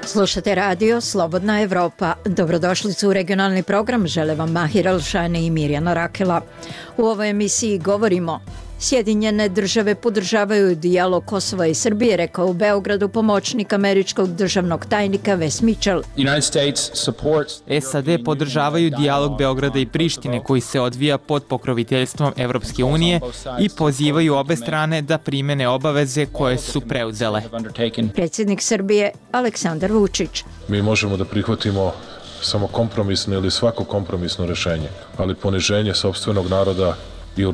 Slušate radio Slobodna Evropa. Dobrodošlicu u regionalni program. Žele vam Mahir Alšani i Mirjana Rakela. U ovoj emisiji govorimo: Sjedinjene države podržavaju dijalog Kosova i Srbije, rekao u Beogradu pomoćnik američkog državnog tajnika Wes Mitchell. SAD podržavaju dijalog Beograda i Prištine koji se odvija pod pokroviteljstvom Evropske unije i pozivaju obe strane da primene obaveze koje su preuzele. Predsjednik Srbije Aleksandar Vučić. Mi možemo da prihvatimo samo kompromisno ili svako kompromisno rješenje, ali poniženje sopstvenog naroda i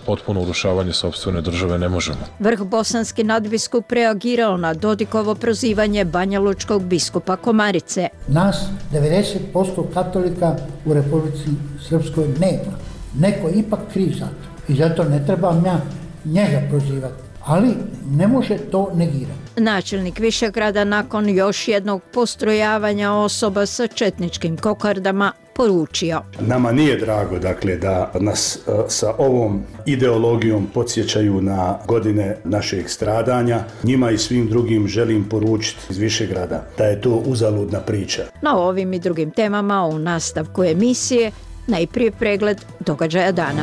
potpuno urušavanje sopstvene države ne možemo. Vrh bosanski nadbiskup reagirao na Dodikovo prozivanje banjalučkog biskupa Komarice. Nas 90% katolika u Republici Srpskoj nema. Neko je ipak kriv za to i zato ne trebam ja njega prozivati, ali ne može to negirati. Načelnik Višegrada nakon još jednog postrojavanja osoba sa četničkim kokardama poručio: Nama nije drago, dakle, da nas sa ovom ideologijom podsjećaju na godine našeg stradanja. Njima i svim drugim želim poručiti iz Višegrada da je to uzaludna priča. Na ovim i drugim temama u nastavku emisije najprije pregled događaja dana.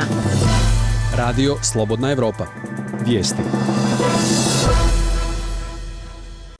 Radio Slobodna Evropa. Vijesti.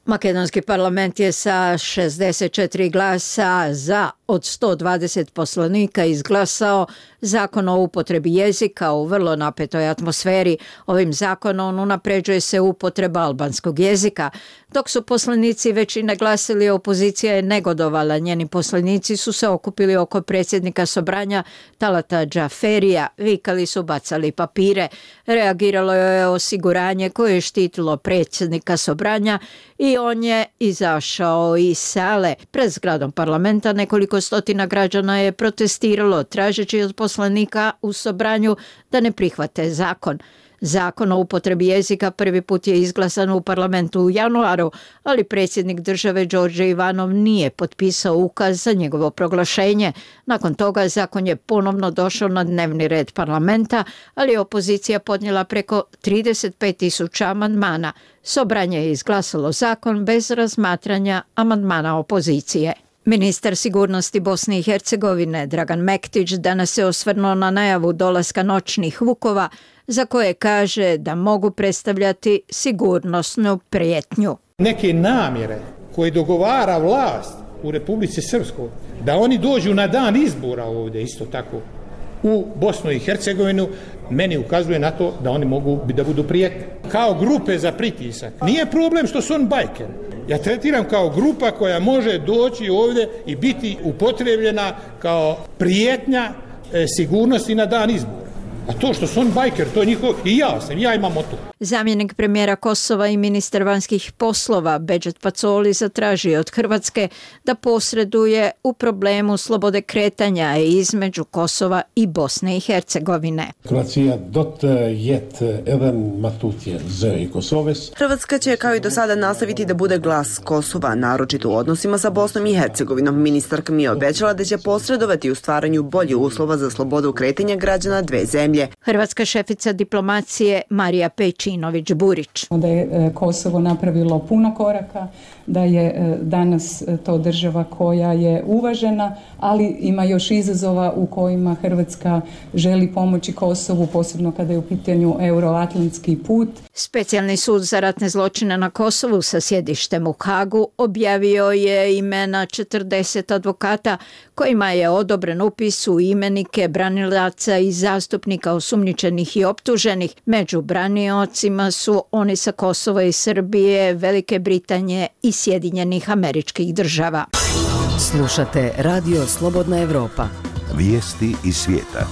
Makedonski parlament je sa 64 glasa za od 120 poslanika izglasao zakon o upotrebi jezika u vrlo napetoj atmosferi. Ovim zakonom unapređuje se upotreba albanskog jezika. Dok su poslanici većine glasili, opozicija je negodovala. Njeni poslanici su se okupili oko predsjednika Sobranja Talata Džaferija, vikali su, bacali papire. Reagiralo je osiguranje koje je štitilo predsjednika Sobranja i on je izašao iz sale. Pred zgradom parlamenta nekoliko stotina građana je protestiralo tražeći od poslanika u Sobranju da ne prihvate zakon. Zakon o upotrebi jezika prvi put je izglasan u parlamentu u januaru, ali predsjednik države Đorđe Ivanov nije potpisao ukaz za njegovo proglašenje. Nakon toga zakon je ponovno došao na dnevni red parlamenta, ali je opozicija podnijela preko 35.000 amandmana. Sobranje je izglasalo zakon bez razmatranja amandmana opozicije. Ministar sigurnosti Bosne i Hercegovine Dragan Mektić danas se osvrnuo na najavu dolaska noćnih vukova za koje kaže da mogu predstavljati sigurnosnu prijetnju. Neke namjere koje dogovara vlast u Republici Srpskoj da oni dođu na dan izbora ovdje isto tako u Bosnu i Hercegovinu, meni ukazuje na to da oni mogu da budu prijetnje. Kao grupe za pritisak. Nije problem što su on bajkeri. Ja tretiram kao grupa koja može doći ovdje i biti upotrebljena kao prijetnja sigurnosti na dan izbora. A to što su on bajker, to je njihov, i ja imam o to. Zamjenik premijera Kosova i ministar vanjskih poslova Bedžet Pacoli zatražio od Hrvatske da posreduje u problemu slobode kretanja između Kosova i Bosne i Hercegovine. Hrvatska će kao i do sada nastaviti da bude glas Kosova, naročito u odnosima sa Bosnom i Hercegovinom. Ministarka mi je obećala da će posredovati u stvaranju boljih uslova za slobodu kretanja građana dve zemlje. Hrvatska šefica diplomacije Marija Pejčinović-Burić. Da je Kosovo napravilo puno koraka, da je danas to država koja je uvažena, ali ima još izazova u kojima Hrvatska želi pomoći Kosovu, posebno kada je u pitanju euroatlantski put. Specijalni sud za ratne zločine na Kosovu sa sjedištem u Hagu objavio je imena 40 advokata kojima je odobren upis u imenike branilaca i zastupnika osumnjičenih i optuženih. Među braniocima su oni sa Kosova i Srbije, Velike Britanije i Sjedinjenih Američkih Država. Slušate Radio Slobodna Evropa. Vijesti iz svijeta.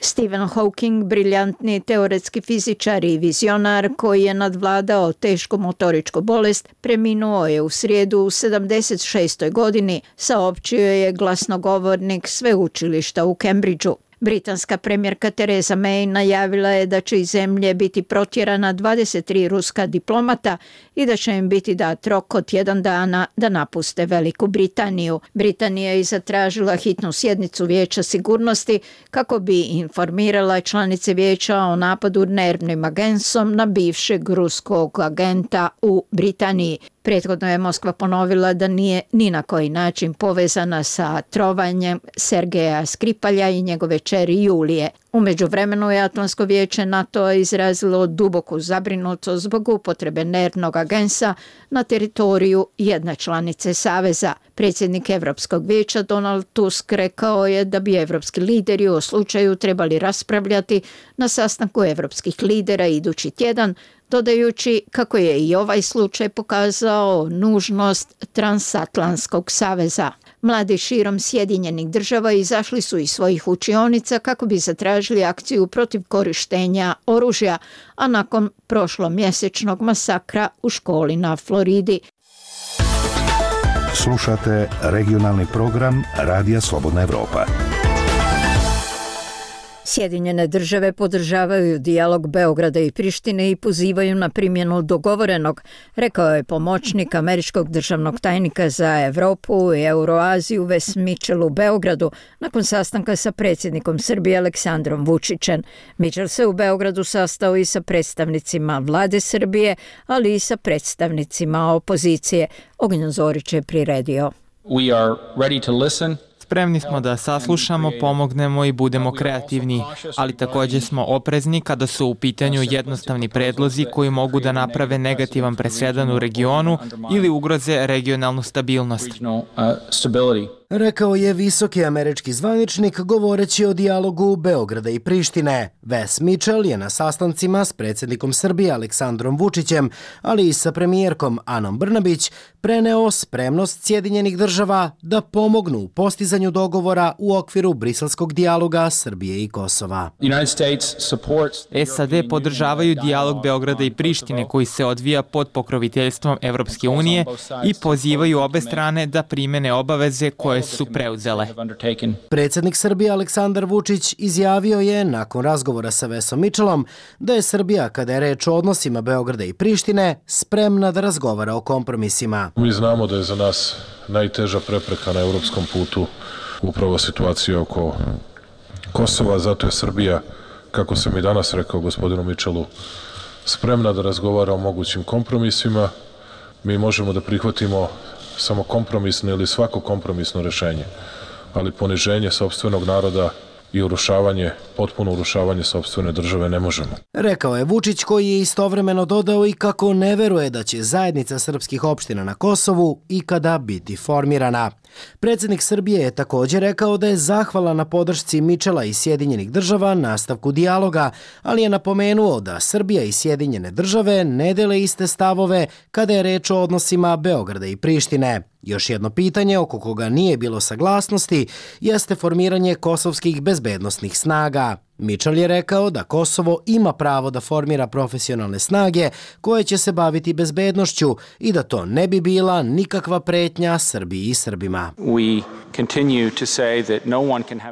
Stephen Hawking, briljantni teoretski fizičar i vizionar koji je nadvladao tešku motoričku bolest, preminuo je u srijedu u 76. godini, saopćio je glasnogovornik sveučilišta u Cambridgeu. Britanska premijerka Theresa May najavila je da će iz zemlje biti protjerana 23 ruska diplomata i da će im biti dat rok od 1 dana da napuste Veliku Britaniju. Britanija je zatražila hitnu sjednicu Vijeća sigurnosti kako bi informirala članice vijeća o napadu nervnim agensom na bivšeg ruskog agenta u Britaniji. Prethodno je Moskva ponovila da nije ni na koji način povezana sa trovanjem Sergeja Skripalja i njegove kćeri Julije. U međuvremenu je Atlantsko vijeće NATO izrazilo duboku zabrinutost zbog upotrebe nervnog agensa na teritoriju jedne članice Saveza. Predsjednik Europskog vijeća Donald Tusk rekao je da bi evropski lideri u slučaju trebali raspravljati na sastanku evropskih lidera idući tjedan, dodajući kako je i ovaj slučaj pokazao nužnost transatlantskog saveza. Mladi širom Sjedinjenih država izašli su iz svojih učionica kako bi zatražili akciju protiv korištenja oružja, a nakon prošlomjesečnog masakra u školi na Floridi. Slušate regionalni program Radija Slobodna Evropa. Sjedinjene države podržavaju dijalog Beograda i Prištine i pozivaju na primjenu dogovorenog, rekao je pomoćnik američkog državnog tajnika za Evropu i Euroaziju Wes Mitchell u Beogradu nakon sastanka sa predsjednikom Srbije Aleksandrom Vučićem. Mitchell se u Beogradu sastao i sa predstavnicima vlade Srbije, ali i sa predstavnicima opozicije. Ognjen Zorić je priredio. We are ready to listen. Spremni smo da saslušamo, pomognemo i budemo kreativni, ali također smo oprezni kada su u pitanju jednostavni predlozi koji mogu da naprave negativan presedan u regionu ili ugroze regionalnu stabilnost. Rekao je visoki američki zvaničnik govoreći o dijalogu Beograda i Prištine. Wes Mitchell je na sastancima s predsjednikom Srbije Aleksandrom Vučićem, ali i sa premijerkom Anom Brnabić, preneo spremnost Sjedinjenih država da pomognu u postizanju dogovora u okviru briselskog dijaloga Srbije i Kosova. SAD podržavaju dijalog Beograda i Prištine koji se odvija pod pokroviteljstvom Evropske unije i pozivaju obe strane da primene obaveze koje su preuzele. Predsjednik Srbije Aleksandar Vučić izjavio je nakon razgovora sa Wesom Mitchellom da je Srbija, kada je reč o odnosima Beograda i Prištine, spremna da razgovara o kompromisima. Mi znamo da je za nas najteža prepreka na evropskom putu upravo situacija oko Kosova, zato je Srbija, kako sam i danas rekao gospodinu Mitchellu, spremna da razgovara o mogućim kompromisima. Mi možemo da prihvatimo samo kompromisno ili svako kompromisno rešenje, ali poniženje sopstvenog naroda i potpuno urušavanje sopstvene države ne možemo. Rekao je Vučić, koji je istovremeno dodao i kako ne veruje da će zajednica srpskih opština na Kosovu ikada biti formirana. Predsjednik Srbije je također rekao da je zahvalan na podršci Mitchella i Sjedinjenih država nastavku dijaloga, ali je napomenuo da Srbija i Sjedinjene države ne dele iste stavove kada je reč o odnosima Beograda i Prištine. Još jedno pitanje oko koga nije bilo saglasnosti jeste formiranje kosovskih bezbednosnih snaga. Mitchell je rekao da Kosovo ima pravo da formira profesionalne snage koje će se baviti bezbednošću i da to ne bi bila nikakva pretnja Srbiji i Srbima.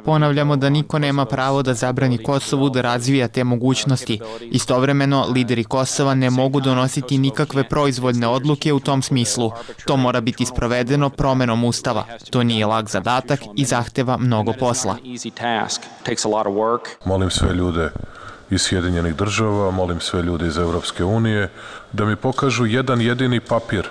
Ponavljamo da niko nema pravo da zabrani Kosovu da razvija te mogućnosti. Istovremeno, lideri Kosova ne mogu donositi nikakve proizvoljne odluke u tom smislu. To mora biti sprovedeno promenom ustava. To nije lak zadatak i zahteva mnogo posla. Molim sve ljude iz Sjedinjenih država, molim sve ljude iz Evropske unije da mi pokažu jedan jedini papir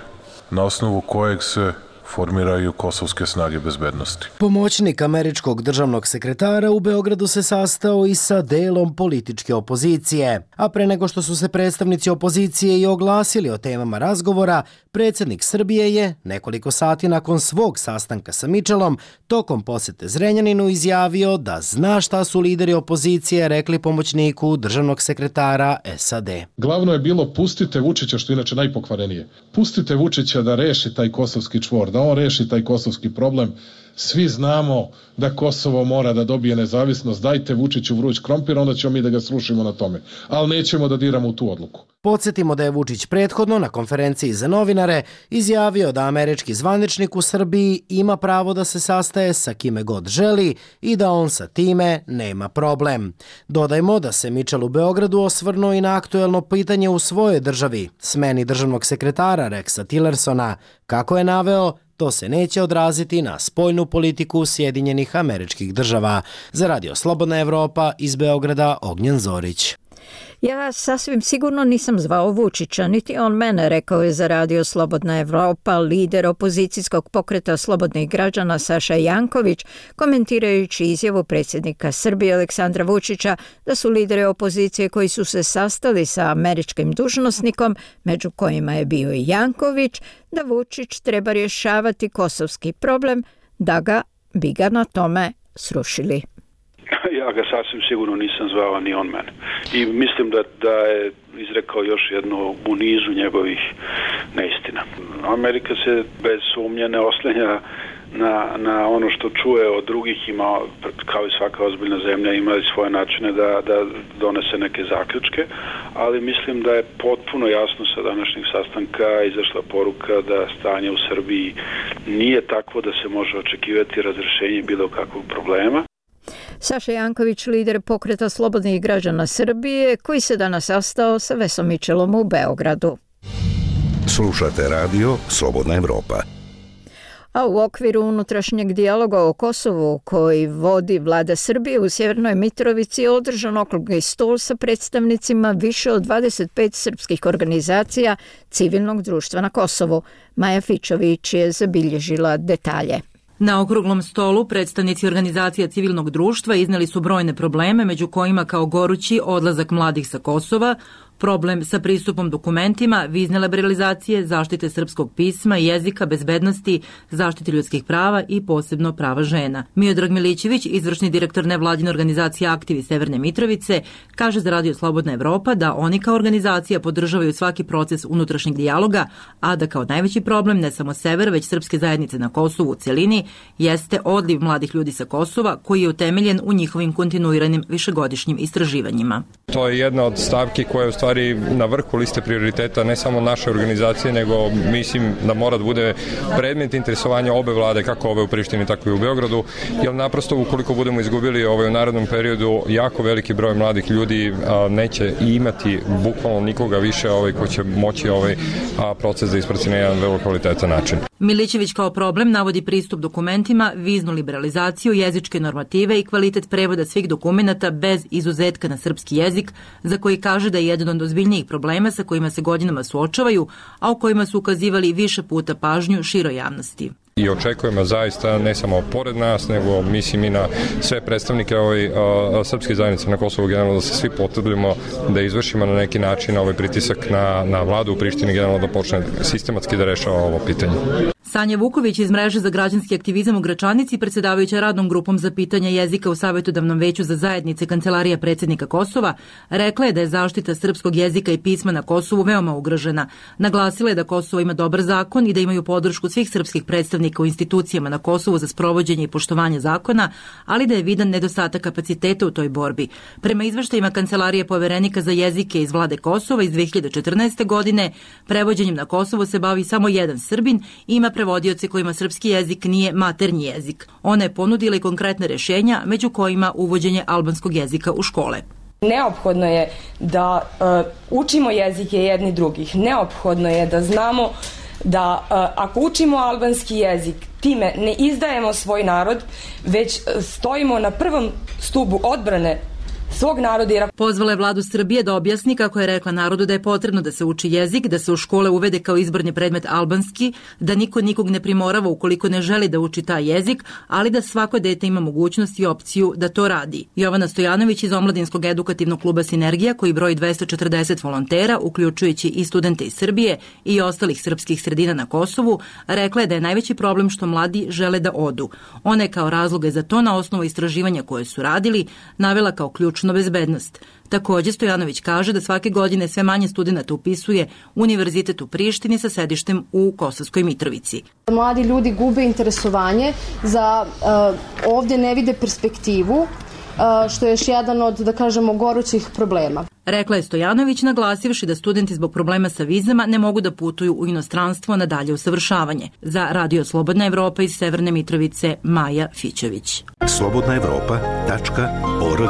na osnovu kojeg se formiraju kosovske snage bezbednosti. Pomoćnik američkog državnog sekretara u Beogradu se sastao i sa delom političke opozicije. A pre nego što su se predstavnici opozicije i oglasili o temama razgovora, predsjednik Srbije je nekoliko sati nakon svog sastanka sa Mitchellom tokom posete Zrenjaninu izjavio da zna šta su lideri opozicije rekli pomoćniku državnog sekretara SAD. Glavno je bilo pustite Vučića, što je inače najpokvarenije. Pustite Vučića da reši taj kosovski čvor, da on reši taj kosovski problem. Svi znamo da Kosovo mora da dobije nezavisnost, dajte Vučiću vruć krompir, onda ćemo mi da ga srušimo na tome. Ali nećemo da diramo u tu odluku. Podsjetimo da je Vučić prethodno na konferenciji za novinare izjavio da američki zvaničnik u Srbiji ima pravo da se sastaje sa kime god želi i da on sa time nema problem. Dodajmo da se Mitchell u Beogradu osvrnuo i na aktuelno pitanje u svojoj državi, smeni državnog sekretara Rexa Tillersona. Kako je naveo, to se neće odraziti na spoljnu politiku Sjedinjenih Američkih Država. Za Radio Slobodna Evropa iz Beograda, Ognjen Zorić. Ja sasvim sigurno nisam zvao Vučića, niti on mene, rekao je za Radio Slobodna Evropa lider opozicijskog pokreta slobodnih građana Saša Janković, komentirajući izjavu predsjednika Srbije Aleksandra Vučića da su lideri opozicije koji su se sastali sa američkim dužnosnikom, među kojima je bio i Janković, da Vučić treba rješavati kosovski problem, da bi ga na tome srušili. Ja ga sasvim sigurno nisam zvao, ni on mene. I mislim da je izrekao još jedno u nizu njegovih neistina. Amerika se bez sumnje ne oslanja na ono što čuje od drugih, ima, kao i svaka ozbiljna zemlja, ima i svoje načine da donese neke zaključke, ali mislim da je potpuno jasno sa današnjeg sastanka izašla poruka da stanje u Srbiji nije takvo da se može očekivati razrešenje bilo kakvog problema. Saša Janković, lider pokreta slobodnih građana Srbije, koji se danas sastao sa Vesom Mitchellom u Beogradu. Slušate radio Slobodna Evropa. A u okviru unutrašnjeg dijaloga o Kosovu koji vodi vlada Srbije u Sjevernoj Mitrovici održan okrugli stol sa predstavnicima više od 25 srpskih organizacija civilnog društva na Kosovu. Maja Fičović je zabilježila detalje. Na okruglom stolu predstavnici organizacija civilnog društva izneli su brojne probleme, među kojima kao gorući odlazak mladih sa Kosova, problem sa pristupom dokumentima, vizne liberalizacije, zaštite srpskog pisma i jezika, bezbednosti, zaštite ljudskih prava i posebno prava žena. Miodrag Milićević, izvršni direktor nevladine organizacije Aktivi Severne Mitrovice, kaže za Radio Slobodna Evropa da oni kao organizacija podržavaju svaki proces unutrašnjeg dijaloga, a da kao najveći problem ne samo sever, već srpske zajednice na Kosovu u celini jeste odliv mladih ljudi sa Kosova koji je utemeljen u njihovim kontinuiranim višegodišnjim istraživanjima. To je jedna od stavki koja je u stvari na vrhu liste prioriteta ne samo naše organizacije, nego mislim da mora da bude predmet interesovanja obe vlade, kako ove u Prištini, tako i u Beogradu, jer naprosto ukoliko budemo izgubili u narednom periodu jako veliki broj mladih ljudi neće imati bukvalno nikoga više ko će moći proces da isprati na jedan vrlo kvalitetan način. Milićević kao problem navodi pristup dokumentima, viznu liberalizaciju, jezičke normative i kvalitet prevoda svih dokumenata bez izuzetka na srpski jezik, za koji kaže da je jedan od ozbiljnijih problema sa kojima se godinama suočavaju, a u kojima su ukazivali više puta pažnju široj javnosti. I očekujemo zaista ne samo pored nas, nego mislim i na sve predstavnike srpske zajednice na Kosovu generalno da se svi potrudimo da izvršimo na neki način pritisak na vladu u Prištini generalno da počne sistematski da rešava ovo pitanje. Sanja Vuković iz Mreže za građanski aktivizam u Gračanici, predsjedavajuća radnom grupom za pitanja jezika u Savjetodavnom veću za zajednice Kancelarija predsjednika Kosova, rekla je da je zaštita srpskog jezika i pisma na Kosovu veoma ugrožena. Naglasila je da Kosovo ima dobar zakon i da imaju podršku svih srpskih predstavnika u institucijama na Kosovu za sprovođenje i poštovanje zakona, ali da je vidan nedostatak kapaciteta u toj borbi. Prema izveštajima Kancelarije poverenika za jezike iz vlade Kosova iz 2014. godine, prevođenjem na Kosovo se bavi samo jedan Srbin i ima prevodioce kojima srpski jezik nije maternji jezik. Ona je ponudila i konkretne rješenja, među kojima uvođenje albanskog jezika u škole. Neophodno je da učimo jezike jedni drugih. Neophodno je da znamo da ako učimo albanski jezik, time ne izdajemo svoj narod, već stojimo na prvom stubu odbrane svog naroda. Pozvala je vladu Srbije da objasni kako je rekla narodu da je potrebno da se uči jezik, da se u škole uvede kao izborni predmet albanski, da niko nikog ne primorava ukoliko ne želi da uči taj jezik, ali da svako dete ima mogućnost i opciju da to radi. Jovana Stojanović iz Omladinskog edukativnog kluba Sinergija, koji broji 240 volontera, uključujući i studente iz Srbije i ostalih srpskih sredina na Kosovu, rekla je da je najveći problem što mladi žele da odu. Ona je kao razloge za to na osnovu istraživanja koje su radili navela kao ključnu ličnu bezbednost. Takođe, Stojanović kaže da svake godine sve manje studenata upisuje Univerzitet u Prištini sa sedištem u Kosovskoj Mitrovici. Mladi ljudi gube interesovanje za ovdje ne vide perspektivu, što je još jedan od, da kažemo, gorućih problema. Rekla je Stojanović, naglasivši da studenti zbog problema sa vizama ne mogu da putuju u inostranstvo na dalje usavršavanje. Za Radio Slobodna Evropa iz Severne Mitrovice, Maja Fićević. slobodnaevropa.org.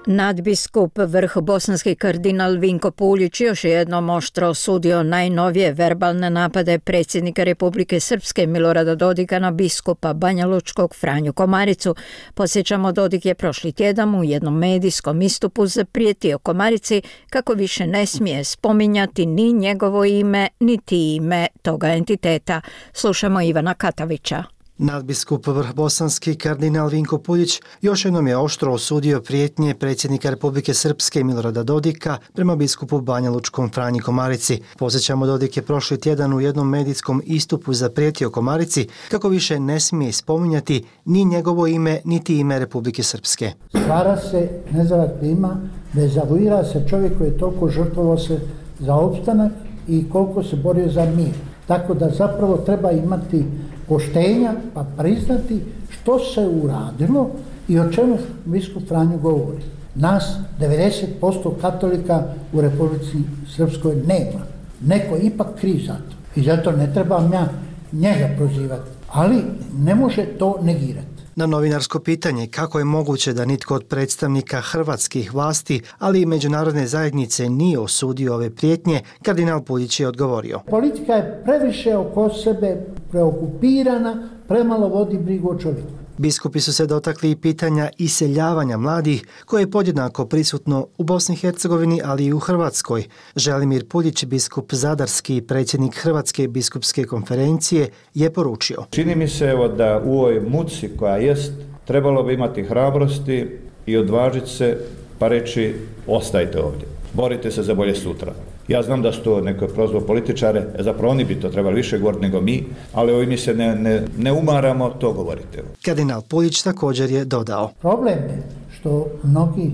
Nadbiskup vrh bosanski kardinal Vinko Puljić još jednom oštro osudio najnovije verbalne napade predsjednika Republike Srpske Milorada Dodika na biskupa banjalučkog Franju Komaricu. Podsjećamo, Dodik je prošli tjedan u jednom medijskom istupu zaprijetio Komarici kako više ne smije spominjati ni njegovo ime, niti ime toga entiteta. Slušamo Ivana Katavića. Nadbiskup vrh bosanski kardinal Vinko Puljić još jednom je oštro osudio prijetnje predsjednika Republike Srpske Milorada Dodika prema biskupu banjalučkom Franji Komarici. Podsjećamo, Dodik je prošli tjedan u jednom medijskom istupu zaprijetio Komarici kako više ne smije spominjati ni njegovo ime, niti ime Republike Srpske. Stvara se nezavat klima, dezavuira se čovjek koji je toliko žrtvovao se za opstanak i koliko se borio za mir. Tako da zapravo treba imati poštenja pa priznati što se uradilo i o čemu biskup Franjo govori. Nas 90% katolika u Republici Srpskoj nema. Neko ipak kriv za to i zato ne trebam ja njega prozivati, ali ne može to negirati. Na novinarsko pitanje kako je moguće da nitko od predstavnika hrvatskih vlasti, ali i međunarodne zajednice nije osudio ove prijetnje, kardinal Puljić je odgovorio. Politika je previše oko sebe preokupirana, premalo vodi brigu o čovjeku. Biskupi su se dotakli i pitanja iseljavanja mladih, koje je podjednako prisutno u Bosni i Hercegovini, ali i u Hrvatskoj. Želimir Puljić, biskup zadarski, predsjednik Hrvatske biskupske konferencije, je poručio. Čini mi se da u ovoj muci koja jest, trebalo bi imati hrabrosti i odvažiti se pa reći ostajte ovdje, borite se za bolje sutra. Ja znam da su to neko prozvao političare, zapravo oni bi to trebali više govoriti nego mi, ali mi se ne umaramo, to govorite. Kardinal Puljić također je dodao. Problem je što mnogi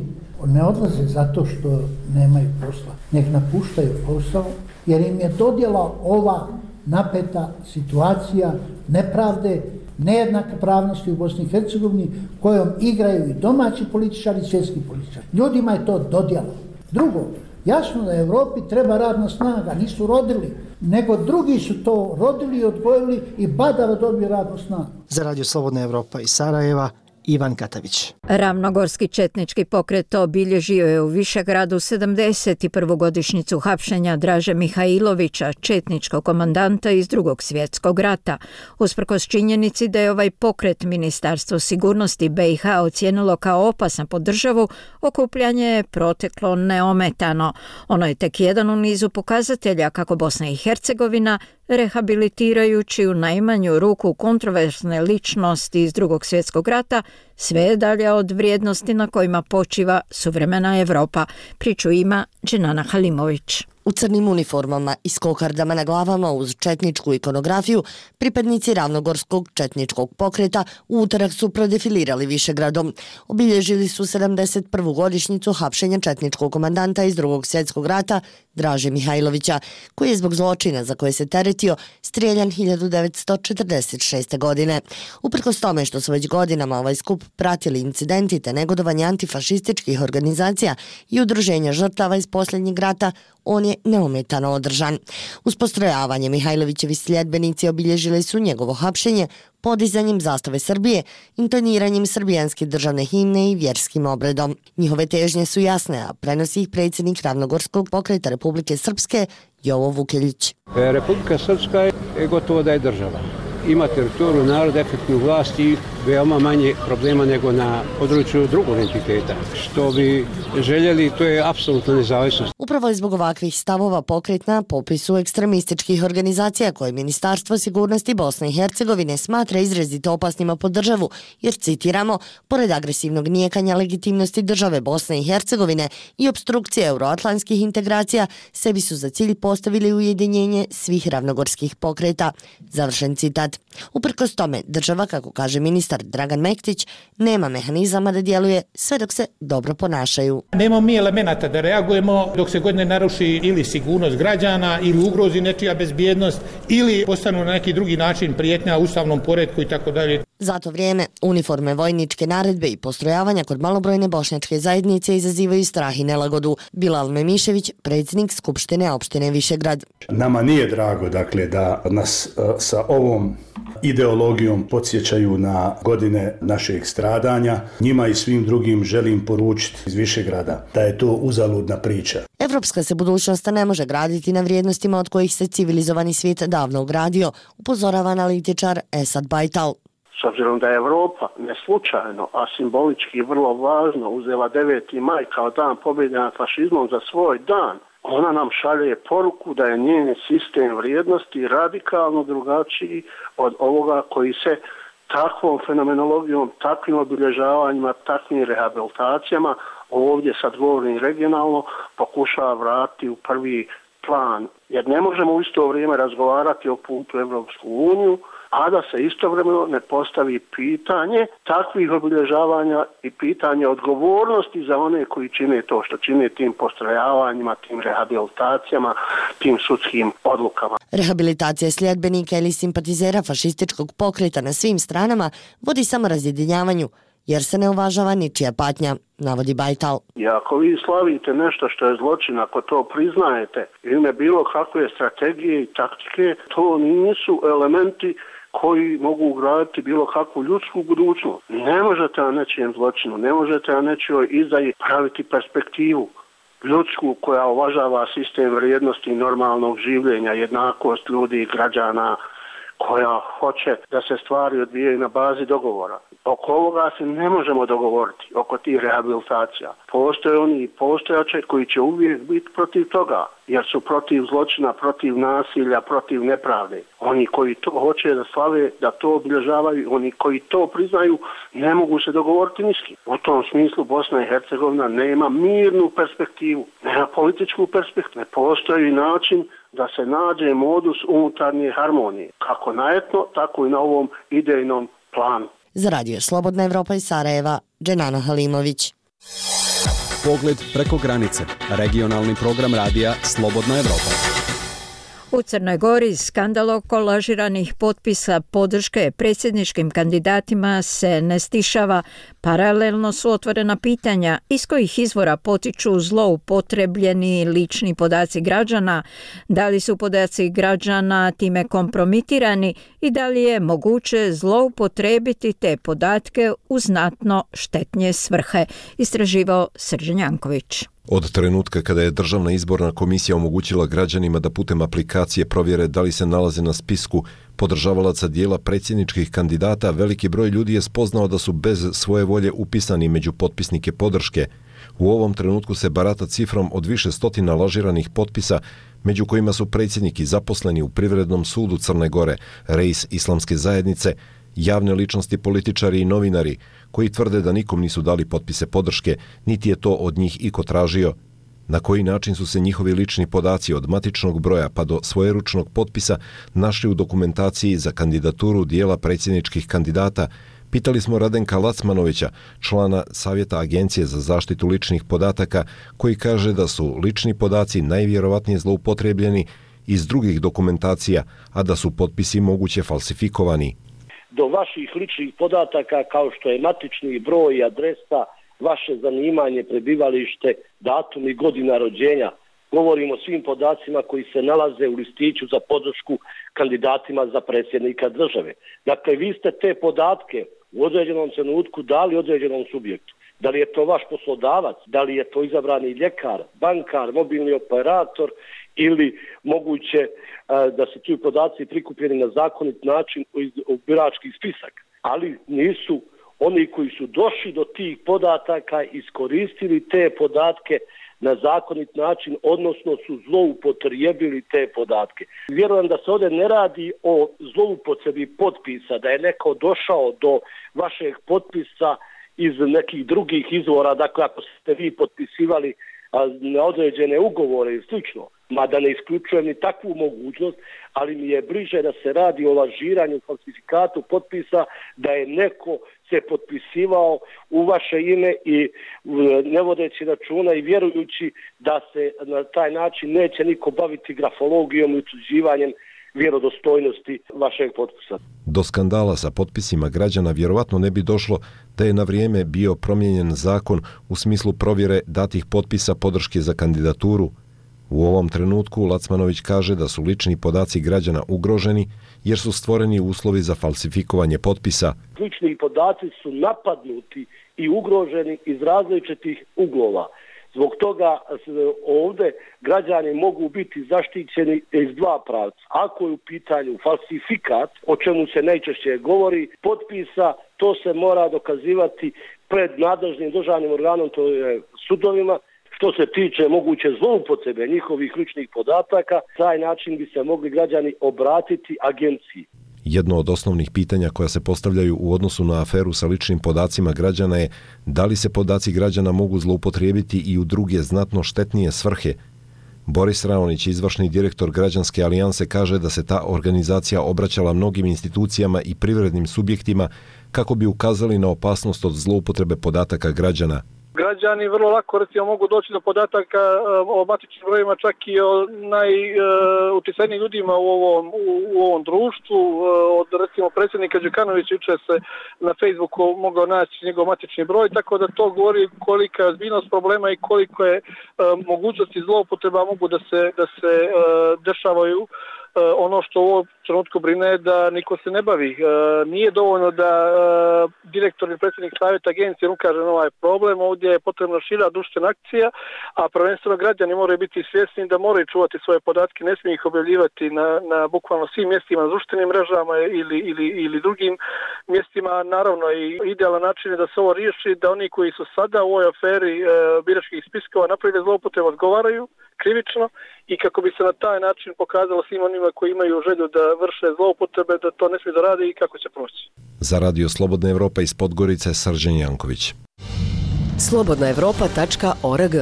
ne odlaze zato što nemaju posla, nek napuštaju posao, jer im je dodjela ova napeta situacija nepravde, nejednake pravnosti u Bosni i Hercegovini, kojom igraju i domaći političari i svjetski političari. Ljudima je to dodjela. Drugo, jasno da Evropi treba radna snaga, nisu rodili, nego drugi su to rodili i odgojili i badava dobiju radnu snagu. Za Radio Slobodna Evropa iz Sarajeva, Ivan Katavić. Ravnogorski četnički pokret obilježio je u Višegradu 71. godišnjicu hapšenja Draže Mihajlovića, četničkog komandanta iz Drugog svjetskog rata. Usprkos činjenici da je ovaj pokret Ministarstvo sigurnosti BiH ocijenilo kao opasan po državu, okupljanje je proteklo neometano. Ono je tek jedan u nizu pokazatelja kako Bosna i Hercegovina, rehabilitirajući u najmanju ruku kontroverzne ličnosti iz Drugog svjetskog rata, sve je dalje od vrijednosti na kojima počiva suvremena Evropa. Priču ima Dženana Halimović. U crnim uniformama i s kokardama na glavama uz četničku ikonografiju, pripadnici Ravnogorskog četničkog pokreta u utorak su prodefilirali Višegradom. Obilježili su 71. godišnjicu hapšenja četničkog komandanta iz Drugog svjetskog rata Draže Mihajlovića, koji je zbog zločina za koje se teretio strijeljan 1946. godine. Uprkos tome što su već godinama ovaj skup pratili incidenti te negodovanje antifašističkih organizacija i udruženja žrtava iz posljednjeg rata, on je neometano održan. Uz postrojavanje Mihajlovićevi sljedbenici obilježili su njegovo hapšenje podizanjem zastave Srbije, intoniranjem srbijanske državne himne i vjerskim obredom. Njihove težnje su jasne, a prenosi ih predsjednik Ravnogorskog pokreta Republike Srpske Jovo Vukeljić. Republika Srpska je gotovo da je država. Ima teritoriju, narod, efektnu vlast i veoma manje problema nego na području drugog entiteta. Što bi željeli, to je apsolutna nezavisnost. Upravo je zbog ovakvih stavova pokret na popisu ekstremističkih organizacija koje Ministarstvo sigurnosti Bosne i Hercegovine smatra izrazito opasnima po državu, jer, citiramo, pored agresivnog nijekanja legitimnosti države Bosne i Hercegovine i obstrukcije euroatlantskih integracija, sebi su za cilj postavili ujedinjenje svih ravnogorskih pokreta. Završen citat. Uprkos tome, država, kako kaže ministar Dragan Mektić, nema mehanizama da djeluje sve dok se dobro ponašaju. Nemamo mi elemenata da reagujemo dok se god ne naruši ili sigurnost građana, ili ugrozi nečija bezbjednost, ili postanu na neki drugi način prijetnja ustavnom poretku i tako dalje. Za to vrijeme, uniforme, vojničke naredbe i postrojavanja kod malobrojne bošnjačke zajednice izazivaju strah i nelagodu. Bilal Memišević, predsjednik Skupštine opštine Višegrad. Nama nije drago, dakle, da nas sa ovom ideologijom podsjećaju na godine našeg stradanja. Njima i svim drugim želim poručiti iz Višegrada da je to uzaludna priča. Evropska se budućnost ne može graditi na vrijednostima od kojih se civilizovani svijet davno ugradio, upozorava analitičar Esad Bajtal. S obzirom da je Evropa ne slučajno, a simbolički vrlo važno uzela 9. maj kao dan pobjede nad fašizmom za svoj dan, ona nam šalje poruku da je njen sistem vrijednosti radikalno drugačiji od ovoga koji se takvom fenomenologijom, takvim obilježavanjima, takvim rehabilitacijama, ovdje sad govorim regionalno, pokušava vratiti u prvi plan. Jer ne možemo u isto vrijeme razgovarati o putu u Evropsku uniju, a da se istovremeno ne postavi pitanje takvih obilježavanja i pitanje odgovornosti za one koji čine to što čine tim postrojavanjima, tim rehabilitacijama, tim sudskim odlukama. Rehabilitacija sljedbenika ili simpatizera fašističkog pokreta na svim stranama vodi samo razjedinjavanju, jer se ne uvažava ničija patnja, navodi Bajtal. I ako vi slavite nešto što je zločin, ako to priznajete, ime bilo kakve strategije i taktike, to nisu elementi koji mogu ugraditi bilo kakvu ljudsku budućnost. Ne možete na nečijem zločinu, ne možete na nečijoj izdaji praviti perspektivu ljudsku koja uvažava sistem vrijednosti normalnog življenja, jednakost ljudi i građana, koja hoće da se stvari odvijaju na bazi dogovora. Oko ovoga se ne možemo dogovoriti, oko tih rehabilitacija. Postoje oni i postojače koji će uvijek biti protiv toga, jer su protiv zločina, protiv nasilja, protiv nepravde. Oni koji to hoće da slave, da to obilježavaju, oni koji to priznaju, ne mogu se dogovoriti ni s kim. U tom smislu Bosna i Hercegovina nema mirnu perspektivu, nema političku perspektivu. Ne postoji način da se nađe modus unutarnje harmonije, kako na etno, tako i na ovom idejnom planu. Za Radio Slobodna Evropa iz Sarajeva, Dženana Halimović. Pogled preko granice. Regionalni program radija Slobodna Evropa. U Crnoj Gori skandal oko lažiranih potpisa podrške predsjedničkim kandidatima se ne stišava. Paralelno su otvorena pitanja iz kojih izvora potiču zloupotrebljeni lični podaci građana, da li su podaci građana time kompromitirani i da li je moguće zloupotrebiti te podatke u znatno štetnije svrhe, istraživao Srđan Janković. Od trenutka kada je Državna izborna komisija omogućila građanima da putem aplikacije provjere da li se nalaze na spisku podržavalaca dijela predsjedničkih kandidata, veliki broj ljudi je spoznao da su bez svoje volje upisani među potpisnike podrške. U ovom trenutku se barata cifrom od više stotina lažiranih potpisa, među kojima su predsjednik i zaposleni u Privrednom sudu Crne Gore, reis islamske zajednice, javne ličnosti, političari i novinari, koji tvrde da nikom nisu dali potpise podrške, niti je to od njih iko tražio. Na koji način su se njihovi lični podaci od matičnog broja pa do svojeručnog potpisa našli u dokumentaciji za kandidaturu dijela predsjedničkih kandidata, pitali smo Radenka Lacmanovića, člana Savjeta Agencije za zaštitu ličnih podataka, koji kaže da su lični podaci najvjerovatnije zloupotrebljeni iz drugih dokumentacija, a da su potpisi moguće falsifikovani. Do vaših ličnih podataka kao što je matični broj, adresa, vaše zanimanje, prebivalište, datum i godina rođenja. Govorimo o svim podacima koji se nalaze u listiću za podršku kandidatima za predsjednika države. Dakle, vi ste te podatke u određenom trenutku dali određenom subjektu. Da li je to vaš poslodavac, da li je to izabrani ljekar, bankar, mobilni operator ili moguće da se ti podaci prikupljeni na zakonit način u birački spisak. Ali nisu oni koji su došli do tih podataka iskoristili te podatke na zakonit način, odnosno su zloupotrijebili te podatke. Vjerujem da se ovdje ne radi o zloupotrebi potpisa, da je neko došao do vašeg potpisa iz nekih drugih izvora, dakle ako ste vi potpisivali na određene ugovore i slično, mada ne isključujem ni takvu mogućnost, ali mi je bliže da se radi o lažiranju, falsifikatu potpisa, da je neko se potpisivao u vaše ime i ne vodeći računa i vjerujući da se na taj način neće niko baviti grafologijom i utvrđivanjem vjerodostojnosti vašeg potpisa. Do skandala sa potpisima građana vjerovatno ne bi došlo da je na vrijeme bio promijenjen zakon u smislu provjere datih potpisa podrške za kandidaturu. U ovom trenutku Lacmanović kaže da su lični podaci građana ugroženi jer su stvoreni uslovi za falsifikovanje potpisa. Lični podaci su napadnuti i ugroženi iz različitih uglova. Zbog toga ovdje građani mogu biti zaštićeni iz dva pravca. Ako je u pitanju falsifikat, o čemu se najčešće govori, potpisa, to se mora dokazivati pred nadležnim državnim organom, to je sudovima. Što se tiče moguće zloupotrebe njihovih ličnih podataka, taj način bi se mogli građani obratiti agenciji. Jedno od osnovnih pitanja koja se postavljaju u odnosu na aferu sa ličnim podacima građana je da li se podaci građana mogu zloupotrijebiti i u druge znatno štetnije svrhe. Boris Raonić, izvršni direktor Građanske alijanse, kaže da se ta organizacija obraćala mnogim institucijama i privrednim subjektima kako bi ukazali na opasnost od zloupotrebe podataka građana. Građani vrlo lako recimo mogu doći do podataka o matičnim brojevima, čak i o najuticajnijim ljudima u ovom društvu. Od recimo predsjednika Đukanovića jučer se na Facebooku mogao naći njegov matični broj, tako da to govori kolika je ozbiljnost problema i koliko je mogućnosti zloupotreba mogu da se dešavaju. Ono što u ovom trenutku brine je da niko se ne bavi. Nije dovoljno da direktor i predsjednik savjeta agencije ukaže na ovaj problem. Ovdje je potrebna šira društvena akcija, a prvenstveno građani moraju biti svjesni da moraju čuvati svoje podatke, ne smiju ih objavljivati na bukvalno svim mjestima, na društvenim mrežama ili drugim mjestima. Naravno, i idealan način je da se ovo riješi, da oni koji su sada u ovoj aferi biračkih spiskova napravili zloupotrebu odgovaraju krivično i kako bi se na taj način pokazalo svim onima koji imaju želju da vrše zloupotrebe da to ne smije da radi i kako će proći. Za Radio Slobodna Evropa iz Podgorice, Srđan Janković. slobodnaevropa.org.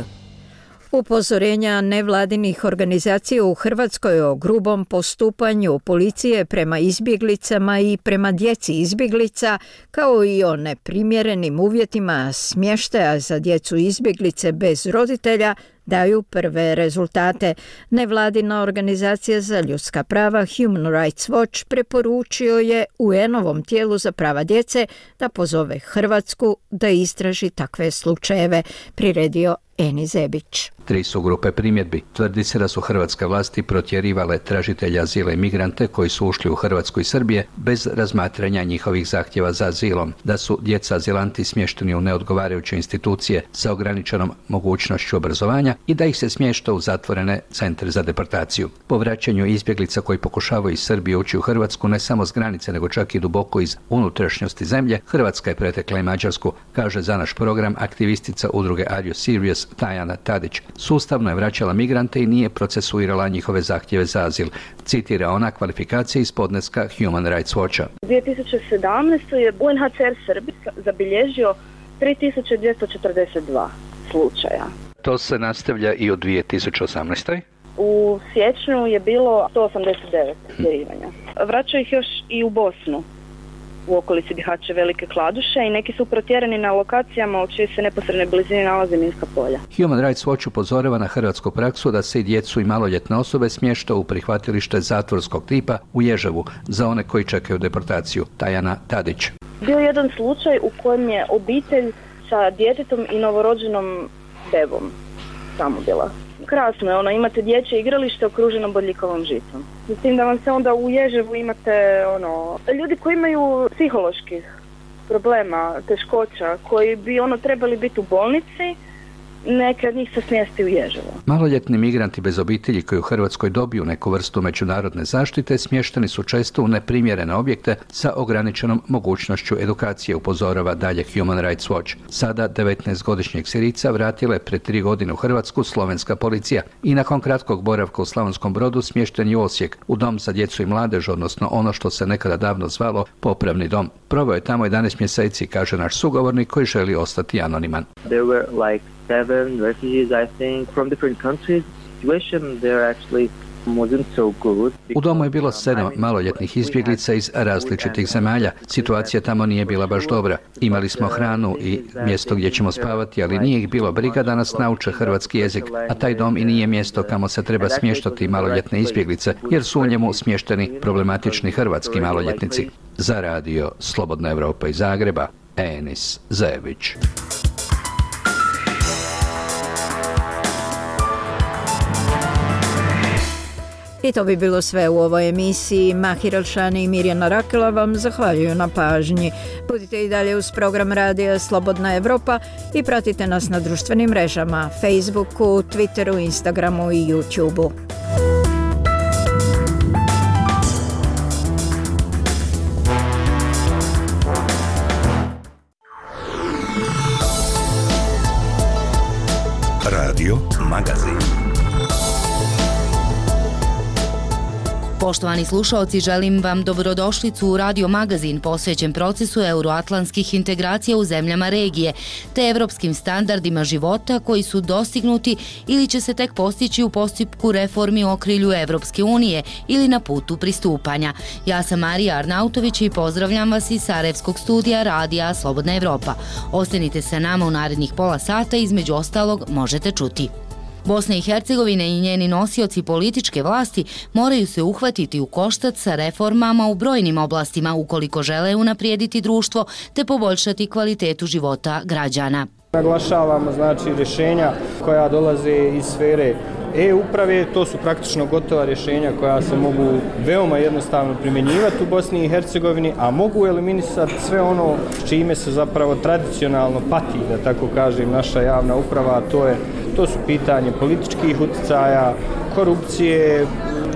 Upozorenja nevladinih organizacija u Hrvatskoj o grubom postupanju policije prema izbjeglicama i prema djeci izbjeglica, kao i o neprimjerenim uvjetima smještaja za djecu izbjeglice bez roditelja, daju prve rezultate. Nevladina organizacija za ljudska prava Human Rights Watch preporučio je UN-ovom tijelu za prava djece da pozove Hrvatsku da istraži takve slučajeve, priredio Eni Zebić. 3 su grupe primjedbi. Tvrdi se da su hrvatske vlasti protjerivale tražitelja azila i migrante koji su ušli u Hrvatsku i Srbije bez razmatranja njihovih zahtjeva za azilom, da su djeca azilanti smješteni u neodgovarajuće institucije sa ograničenom mogućnošću obrazovanja i da ih se smješta u zatvorene centre za deportaciju. Po vraćanju izbjeglica koji pokušavaju iz Srbije ući u Hrvatsku ne samo s granice nego čak i duboko iz unutrašnjosti zemlje, Hrvatska je pretekla i Mađarsku, kaže za naš program aktivistica udruge Are You Serious Tajana Tadić. Sustavno je vraćala migrante i nije procesuirala njihove zahtjeve za azil. Citira ona kvalifikacije iz podneska Human Rights Watcha. 2017. je UNHCR Srbije zabilježio 3242 slučaja. To se nastavlja i u 2018. U siječnju je bilo 189 protjerivanja. Vraćaju ih još i u Bosnu, u okolici Bihaća, Velike Kladuše, i neki su protjerani na lokacijama u čijoj se neposrednoj blizini nalaze minska polja. Human Rights Watch upozorava na hrvatsku praksu da se i djecu i maloljetne osobe smješta u prihvatilište zatvorskog tipa u Ježevu za one koji čekaju deportaciju. Tajana Tadić. Bio je jedan slučaj u kojem je obitelj sa djetetom i novorođenom bebom tamo bila. Krasno je, imate dječje igralište okruženo bodljikavom žicom. S tim da vam se onda u Ježevu imate ljudi koji imaju psiholoških problema, teškoća, koji bi trebali biti u bolnici neke od njih se smjesti u Ježevo. Maloljetni migranti bez obitelji koji u Hrvatskoj dobiju neku vrstu međunarodne zaštite smješteni su često u neprimjerene objekte sa ograničenom mogućnošću edukacije, upozorava dalje Human Rights Watch. Sada 19-godišnjeg Sirijca vratila je pred 3 godine u Hrvatsku slovenska policija i nakon kratkog boravka u Slavonskom Brodu smješten je u Osijek, u dom za djecu i mladež, odnosno ono što se nekada davno zvalo popravni dom. Proveo je tamo 11 mjeseci, kaže naš sugovornik koji želi ostati anoniman. There were like 7 refugees, I think, from different countries. Situation there actually wasn't so good. U domu je bilo 7 maloljetnih izbjeglica iz različitih zemalja. Situacija tamo nije bila baš dobra. Imali smo hranu i mjesto gdje ćemo spavati, ali nije ih bilo briga da nas nauče hrvatski jezik, a taj dom i nije mjesto kamo se treba smještati maloljetne izbjeglice, jer su u njemu smješteni problematični hrvatski maloljetnici. Za radio Slobodna Evropa iz Zagreba, Enis Zajević. I to bi bilo sve u ovoj emisiji. Mahir Alšani i Mirjana Rakela vam zahvaljuju na pažnji. Budite i dalje uz program radija Slobodna Evropa i pratite nas na društvenim mrežama, Facebooku, Twitteru, Instagramu i YouTubeu. Radio Magazin. Poštovani slušaoci, želim vam dobrodošlicu u Radio Magazin posvećen procesu euroatlantskih integracija u zemljama regije, te evropskim standardima života koji su dostignuti ili će se tek postići u postupku reformi u okrilju Evropske unije ili na putu pristupanja. Ja sam Marija Arnautović i pozdravljam vas iz Sarajevskog studija Radija Slobodna Evropa. Ostanite sa nama u narednih pola sata, između ostalog možete čuti. Bosna i Hercegovina i njeni nosioci političke vlasti moraju se uhvatiti u koštac sa reformama u brojnim oblastima ukoliko žele unaprijediti društvo te poboljšati kvalitetu života građana. Naglašavamo rješenja koja dolaze iz sfere e-uprave, to su praktično gotova rješenja koja se mogu veoma jednostavno primjenjivati u Bosni i Hercegovini, a mogu eliminisati sve ono s čime se zapravo tradicionalno pati, da tako kažem, naša javna uprava, to su pitanje političkih utjecaja, korupcije,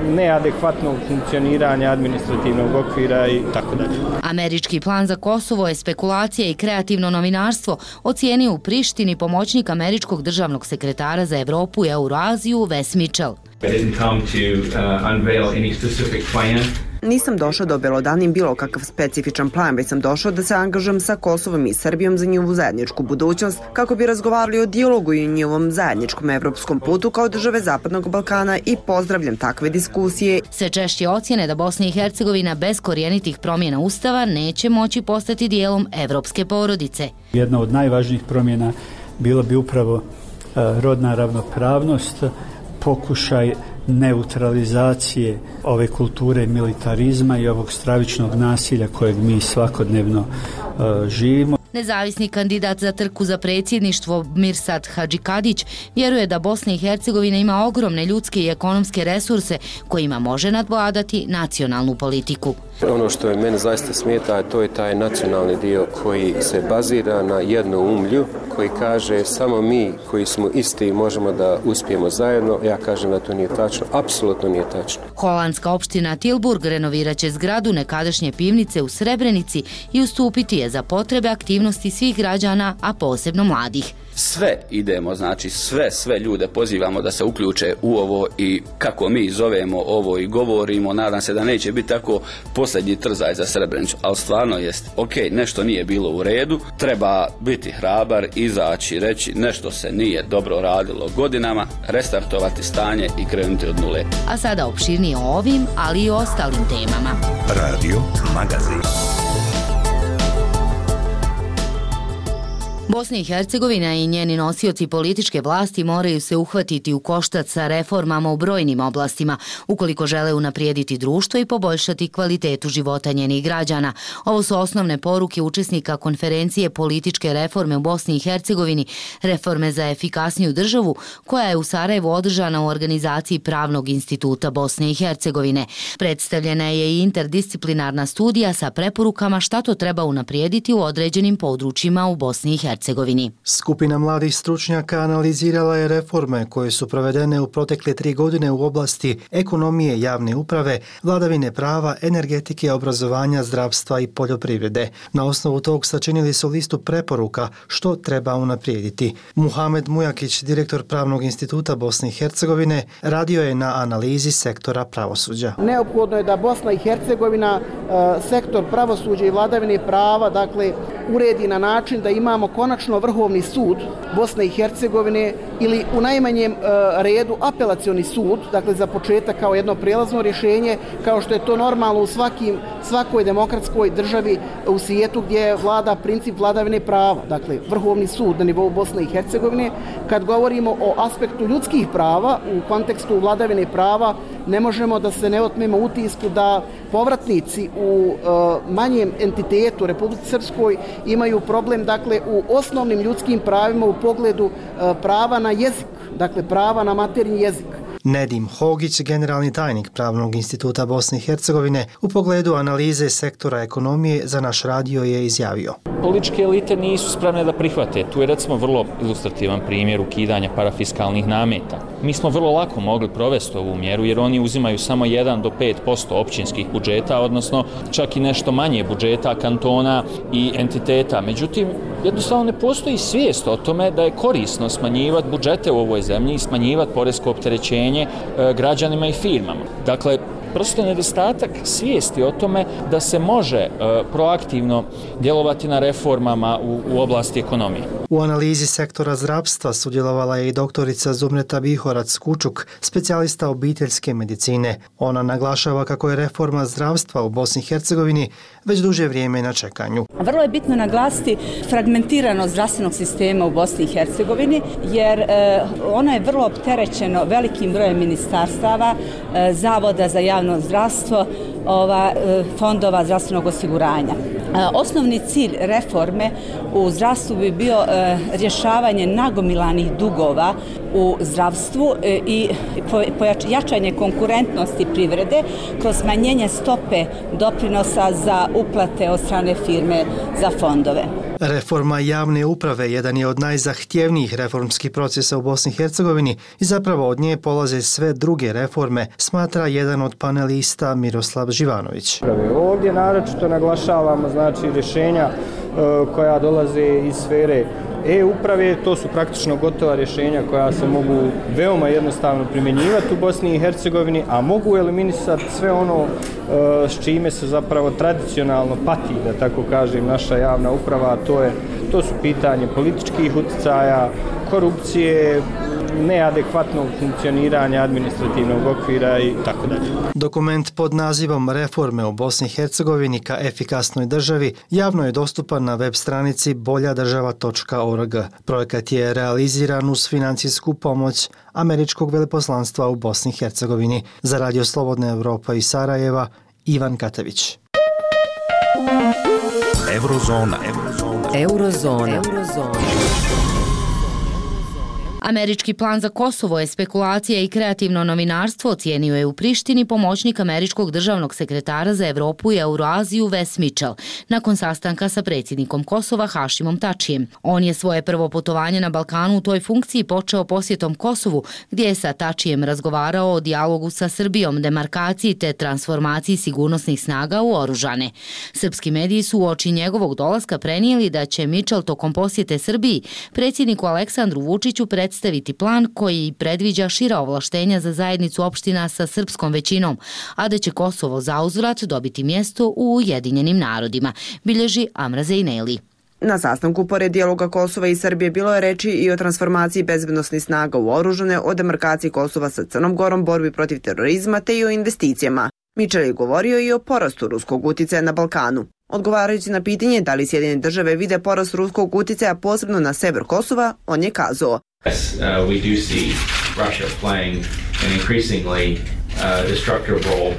neadekvatnog funkcioniranja administrativnog okvira i tako dalje. Američki plan za Kosovo je spekulacija i kreativno novinarstvo, ocijenio u Prištini pomoćnik američkog državnog sekretara za Evropu i Euroaziju Wes Mitchell. Nisam došao da obelodanim bilo kakav specifičan plan, već sam došao da se angažujem sa Kosovom i Srbijom za njihovu zajedničku budućnost, kako bi razgovarali o dijalogu i njihovom zajedničkom evropskom putu kao države Zapadnog Balkana i pozdravljam takve diskusije. Sve češće ocjene da Bosna i Hercegovina bez korijenitih promjena Ustava neće moći postati dijelom evropske porodice. Jedna od najvažnijih promjena bila bi upravo rodna ravnopravnost, pokušaj neutralizacije ove kulture militarizma i ovog stravičnog nasilja kojeg mi svakodnevno živimo. Nezavisni kandidat za trku za predsjedništvo Mirsad Hadžikadić vjeruje da Bosna i Hercegovina ima ogromne ljudske i ekonomske resurse kojima može nadvladati nacionalnu politiku. Ono što je mene zaista smeta, to je taj nacionalni dio koji se bazira na jednoumlju, koji kaže samo mi koji smo isti možemo da uspijemo zajedno. Ja kažem da to nije tačno, apsolutno nije tačno. Holandska opština Tilburg renovirat će zgradu nekadašnje pivnice u Srebrenici i ustupiti je za potrebe aktivnosti svih građana, a posebno mladih. Sve idemo, sve ljude pozivamo da se uključe u ovo i kako mi zovemo ovo i govorimo, nadam se da neće biti tako posljednji trzaj za Srebrenicu, ali stvarno jest, nešto nije bilo u redu, treba biti hrabar, izaći, reći nešto se nije dobro radilo godinama, restartovati stanje i krenuti od nule. A sada opširnije o ovim, ali i o ostalim temama. Radio Magazin. Bosna i Hercegovina i njeni nosioci političke vlasti moraju se uhvatiti u koštac sa reformama u brojnim oblastima, ukoliko žele unaprijediti društvo i poboljšati kvalitetu života njenih građana. Ovo su osnovne poruke učesnika konferencije političke reforme u Bosni i Hercegovini, reforme za efikasniju državu, koja je u Sarajevu održana u organizaciji Pravnog instituta Bosne i Hercegovine. Predstavljena je i interdisciplinarna studija sa preporukama šta to treba unaprijediti u određenim područjima u Bosni i Hercegovini. Hercegovini. Skupina mladih stručnjaka analizirala je reforme koje su provedene u protekle 3 godine u oblasti ekonomije, javne uprave, vladavine prava, energetike, obrazovanja, zdravstva i poljoprivrede. Na osnovu tog sačinili su listu preporuka što treba unaprijediti. Muhamed Mujakić, direktor Pravnog instituta Bosne i Hercegovine, radio je na analizi sektora pravosuđa. Neophodno je da Bosna i Hercegovina sektor pravosuđa i vladavine prava uredi na način da imamo konačno Vrhovni sud Bosne i Hercegovine ili u najmanjem redu apelacioni sud, za početak kao jedno prijelazno rješenje, kao što je to normalno u svakoj demokratskoj državi u svijetu gdje vlada princip vladavine prava. Vrhovni sud na nivou Bosne i Hercegovine. Kad govorimo o aspektu ljudskih prava u kontekstu vladavine prava, ne možemo da se ne otmemo utisku da povratnici u manjem entitetu Republici Srpskoj imaju problem u osnovnim ljudskim pravima u pogledu prava na jezik, prava na maternji jezik. Nedim Hogić, generalni tajnik Pravnog instituta Bosne i Hercegovine, u pogledu analize sektora ekonomije za naš radio je izjavio. Političke elite nisu spremne da prihvate. Tu je recimo vrlo ilustrativan primjer ukidanja parafiskalnih nameta. Mi smo vrlo lako mogli provesti ovu mjeru jer oni uzimaju samo 1 do 5% općinskih budžeta, odnosno čak i nešto manje budžeta kantona i entiteta. Međutim, jednostavno ne postoji svijest o tome da je korisno smanjivati budžete u ovoj zemlji i smanjivati poresko opterećenje građanima i firmama. Prosto nedostatak svijesti o tome da se može proaktivno djelovati na reformama u oblasti ekonomije. U analizi sektora zdravstva sudjelovala je i doktorica Zumreta Bihorac-Kučuk, specijalista obiteljske medicine. Ona naglašava kako je reforma zdravstva u Bosni i Hercegovini već duže vrijeme na čekanju. Vrlo je bitno naglasiti fragmentiranost zdravstvenog sistema u Bosni i Hercegovini, jer ono je vrlo opterećeno velikim brojem ministarstava, zavoda za javno zdravstvo, fondova zdravstvenog osiguranja. Osnovni cilj reforme u zdravstvu bi bio rješavanje nagomilanih dugova u zdravstvu i jačanje konkurentnosti privrede kroz smanjenje stope doprinosa za uplate od strane firme za fondove. Reforma javne uprave jedan je od najzahtjevnijih reformskih procesa u Bosni i Hercegovini i zapravo od nje polaze sve druge reforme, smatra jedan od panelista Miroslav Živanović. Ovdje naročito naglašavamo rješenja koja dolaze iz sfere e-uprave, to su praktično gotova rješenja koja se mogu veoma jednostavno primjenjivati u Bosni i Hercegovini, a mogu eliminisati sve ono s čime se zapravo tradicionalno pati, da tako kažem, naša javna uprava, to su pitanje političkih utjecaja, korupcije, neadekvatnog funkcioniranja administrativnog okvira i tako dalje. Dokument pod nazivom Reforme u Bosni i Hercegovini ka efikasnoj državi javno je dostupan na web stranici boljadržava.org. Projekat je realiziran uz financijsku pomoć Američkog veleposlanstva u Bosni i Hercegovini. Za Radio Slobodna Evropa iz Sarajeva, Ivan Katević. Eurozona. Američki plan za Kosovo je spekulacija i kreativno novinarstvo, ocijenio je u Prištini pomoćnik američkog državnog sekretara za Evropu i Euroaziju Wes Mitchell nakon sastanka sa predsjednikom Kosova Hašimom Tačijem. On je svoje prvo putovanje na Balkanu u toj funkciji počeo posjetom Kosovu, gdje je sa Tačijem razgovarao o dijalogu sa Srbijom, demarkaciji te transformaciji sigurnosnih snaga u oružane. Srpski mediji su uoči njegovog dolaska prenijeli da će Mitchell tokom posjete Srbiji predsjedniku Aleksandru Vučiću predstaviti plan koji predviđa šira ovlaštenja za zajednicu opština sa srpskom većinom, a da će Kosovo zauzvrat dobiti mjesto u Ujedinjenim narodima, bilježi Amra Zejneli. Na sastanku pored dijaloga Kosova i Srbije bilo je reči i o transformaciji bezbednosnih snaga u oružane, o demarkaciji Kosova sa Crnom Gorom, borbi protiv terorizma te i o investicijama. Mitchell je govorio i o porastu ruskog uticaja na Balkanu. Odgovarajući na pitanje da li Sjedinjene države vide porast ruskog uticaja posebno na sever Kosova, on je kazao: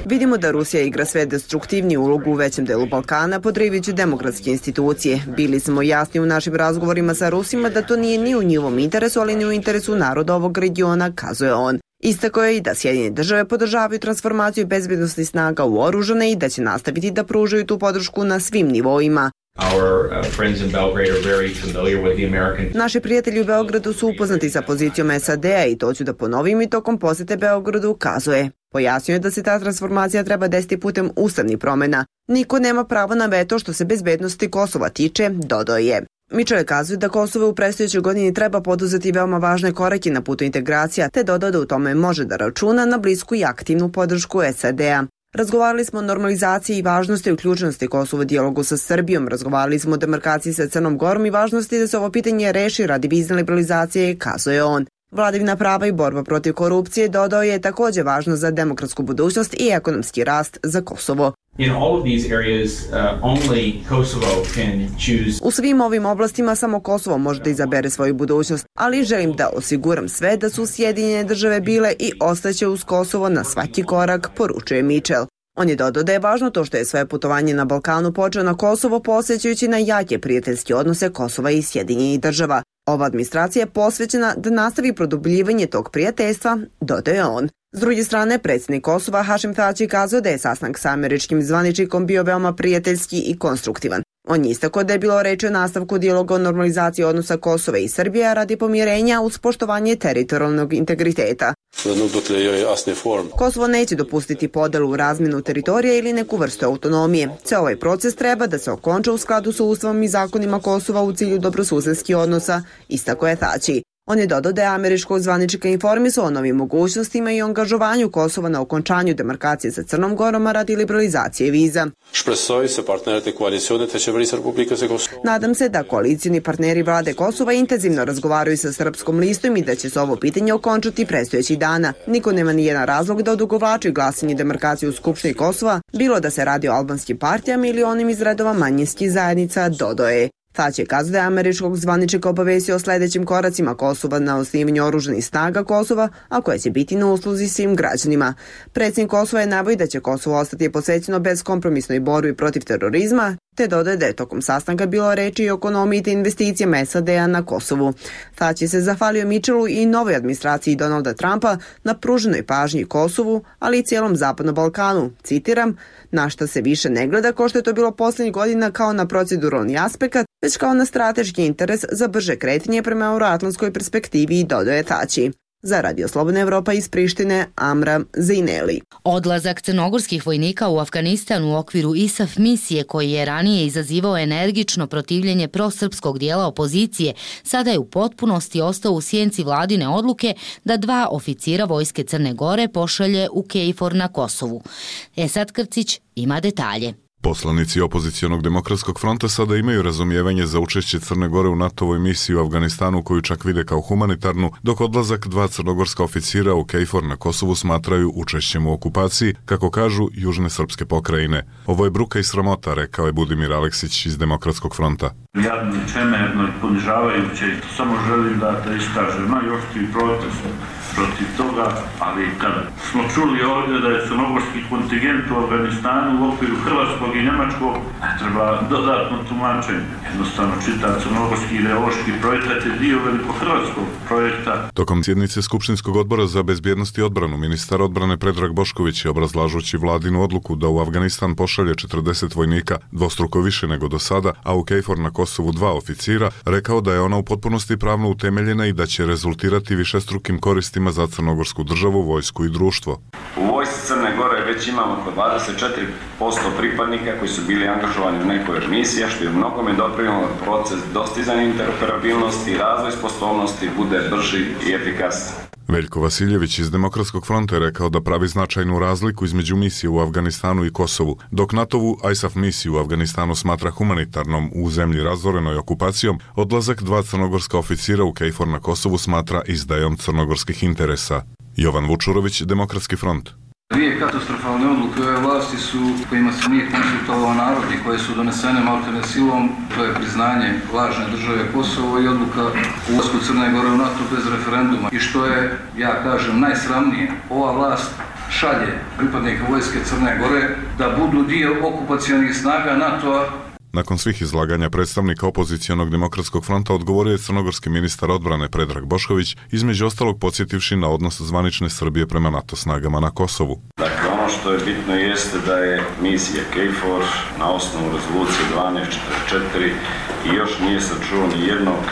Vidimo da Rusija igra sve destruktivniju ulogu u većem delu Balkana, podrivajući demokratske institucije. Bili smo jasni u našim razgovorima sa Rusima da to nije ni u njihovom interesu, ali ni u interesu naroda ovog regiona, kazuje on. Istakao je i da Sjedinjene države podržavaju transformaciju bezbednosnih snaga u oružane i da će nastaviti da pružaju tu podršku na svim nivoima. Naši prijatelji u Beogradu su upoznati sa pozicijom SAD-a i to ću da ponovim i tokom posete Beogradu, kazuje. Pojasnio je da se ta transformacija treba desiti putem ustavnih promjena. Niko nema pravo na veto što se bezbednosti Kosova tiče, dodao je. Mitchell kazuje da Kosovo u predstojećoj godini treba poduzeti veoma važne korake na putu integracija, te dodao da u tome može da računa na blisku i aktivnu podršku SAD-a. Razgovarali smo o normalizaciji i važnosti uključenosti Kosova u dijalogu sa Srbijom, razgovarali smo o demarkaciji sa Crnom Gorom i važnosti da se ovo pitanje reši radi vizne liberalizacije, kazuje on. Vladavina prava i borba protiv korupcije, dodao je, također važno za demokratsku budućnost i ekonomski rast za Kosovo. U svim ovim oblastima samo Kosovo može da izabere svoju budućnost, ali želim da osiguram sve da su Sjedinjene države bile i ostaće uz Kosovo na svaki korak, poručuje Mitchell. On je dodao da je važno to što je svoje putovanje na Balkanu počeo na Kosovo posjećajući na jake prijateljske odnose Kosova i Sjedinjenih država. Ova administracija je posvećena da nastavi produbljivanje tog prijateljstva, dodao je on. S druge strane, predsjednik Kosova Hašim Tači kazao da je sastanak sa američkim zvaničnikom bio veoma prijateljski i konstruktivan. On je istakao da je bilo reči o nastavku dijaloga o normalizaciji odnosa Kosova i Srbije radi pomirenja uz poštovanje teritorijalnog integriteta. Kosovo neće dopustiti podelu u razmjenu teritorija ili neku vrstu autonomije. Ceo ovaj proces treba da se okonča u skladu sa ustavom i zakonima Kosova u cilju dobrosusedskih odnosa, istakao je Tači. On je dodao da je američkog zvaničnika informisao o novim mogućnostima i angažovanju Kosova na okončanju demarkacije sa Crnom Gorom radi liberalizacije viza. Nadam se da koalicijni partneri vlade Kosova intenzivno razgovaraju sa Srpskom listom i da će se ovo pitanje okončati predstojećih dana. Niko nema ni jedan razlog da odugovlači glasanje demarkacije u Skupštini Kosova, bilo da se radi o albanskim partijama ili onim iz redova manjinskih zajednica, dodao je. Tać je kazao da je američkog zvaničnika obavestio o sledećim koracima Kosova na osnivanju oružanih snaga Kosova, a koje će biti na usluzi svim građanima. Predsjednik Kosova je naveo da će Kosovo ostati posvećeno bezkompromisnoj borbi protiv terorizma, te dodaje da je tokom sastanka bilo reči i o ekonomiji te investicijama SAD-a na Kosovu. Tać je se zahvalio Mitchellu i novoj administraciji Donalda Trumpa na pruženoj pažnji Kosovu, ali i cijelom Zapadnom Balkanu. Citiram, na šta se više ne gleda kao što je to bilo posljednjih godina kao na proceduralni aspekt, već kao na strateški interes za brže kretanje prema euroatlantskoj perspektivi, dodaje Tači. Za Radio Slobodna Evropa iz Prištine, Amra Zejneli. Odlazak crnogorskih vojnika u Afganistan u okviru ISAF misije, koji je ranije izazivao energično protivljenje prosrpskog dijela opozicije, sada je u potpunosti ostao u sjenci vladine odluke da 2 oficira vojske Crne Gore pošalje u KFOR na Kosovu. Esad Krcić ima detalje. Poslanici opozicijonog demokratskog fronta sada imaju razumijevanje za učešće Crne Gore u NATO-voj misiji u Afganistanu, koju čak vide kao humanitarnu, dok odlazak 2 crnogorska oficira u KFOR na Kosovu smatraju učešćem u okupaciji, kako kažu južne srpske pokrajine. Ovo je bruka i sramota, rekao je Budimir Aleksić iz demokratskog fronta. Jadno, čemerno i ponižavajuće, samo želim da iskažem najoštriji protest protiv toga, ali kad smo čuli ovdje da je crnogorski kontingent u Afganistanu u okviru hrvatskog i njemačkog, ne treba dodatno tumačenje. Jednostavno čita crnogorski ideološki projekat je dio veliko-hrvatskog projekta. Tokom sjednice Skupštinskog odbora za bezbjednost i odbranu, ministar odbrane Predrag Bošković je, obrazlažući vladinu odluku da u Afganistan pošalje 40 vojnika, dvostruko više nego do sada, a u KFOR na Kosovu 2 oficira, rekao da je ona u potpunosti pravno utemeljena i da će rezultirati višestrukim koristima za crnogorsku državu, vojsku i društvo. U vojsci Crne Gore već imamo oko 24% pripadnika koji su bili angažovani u nekoj od misija, što je u mnogome doprinijelo proces dostizanja interoperabilnosti i razvoj sposobnosti bude brži i efikasan. Veljko Vasiljević iz Demokratskog fronta je rekao da pravi značajnu razliku između misije u Afganistanu i Kosovu, dok NATO-vu ISAF misiju u Afganistanu smatra humanitarnom u zemlji razorenoj okupacijom, odlazak 2 crnogorska oficira u KFOR na Kosovu smatra izdajom crnogorskih interesa. Jovan Vučurović, Demokratski front. 2 katastrofalne odluke ove vlasti su kojima se nije konsultovao narod i koje su donesene maltene silom, to je priznanje lažne države Kosovo i odluka u ulasku Crne Gore u NATO bez referenduma. I što je, ja kažem, najsramnije, ova vlast šalje pripadnike vojske Crne Gore da budu dio okupacionih snaga NATO-a. Nakon svih izlaganja predstavnika opozicijonog Demokratskog fronta odgovorio je crnogorski ministar odbrane Predrag Bošković, između ostalog podsjetivši na odnos zvanične Srbije prema NATO snagama na Kosovu. Dakle, ono što je bitno jeste da je misija KFOR na osnovu rezolucije 1244 i još nije se čuo ni jednog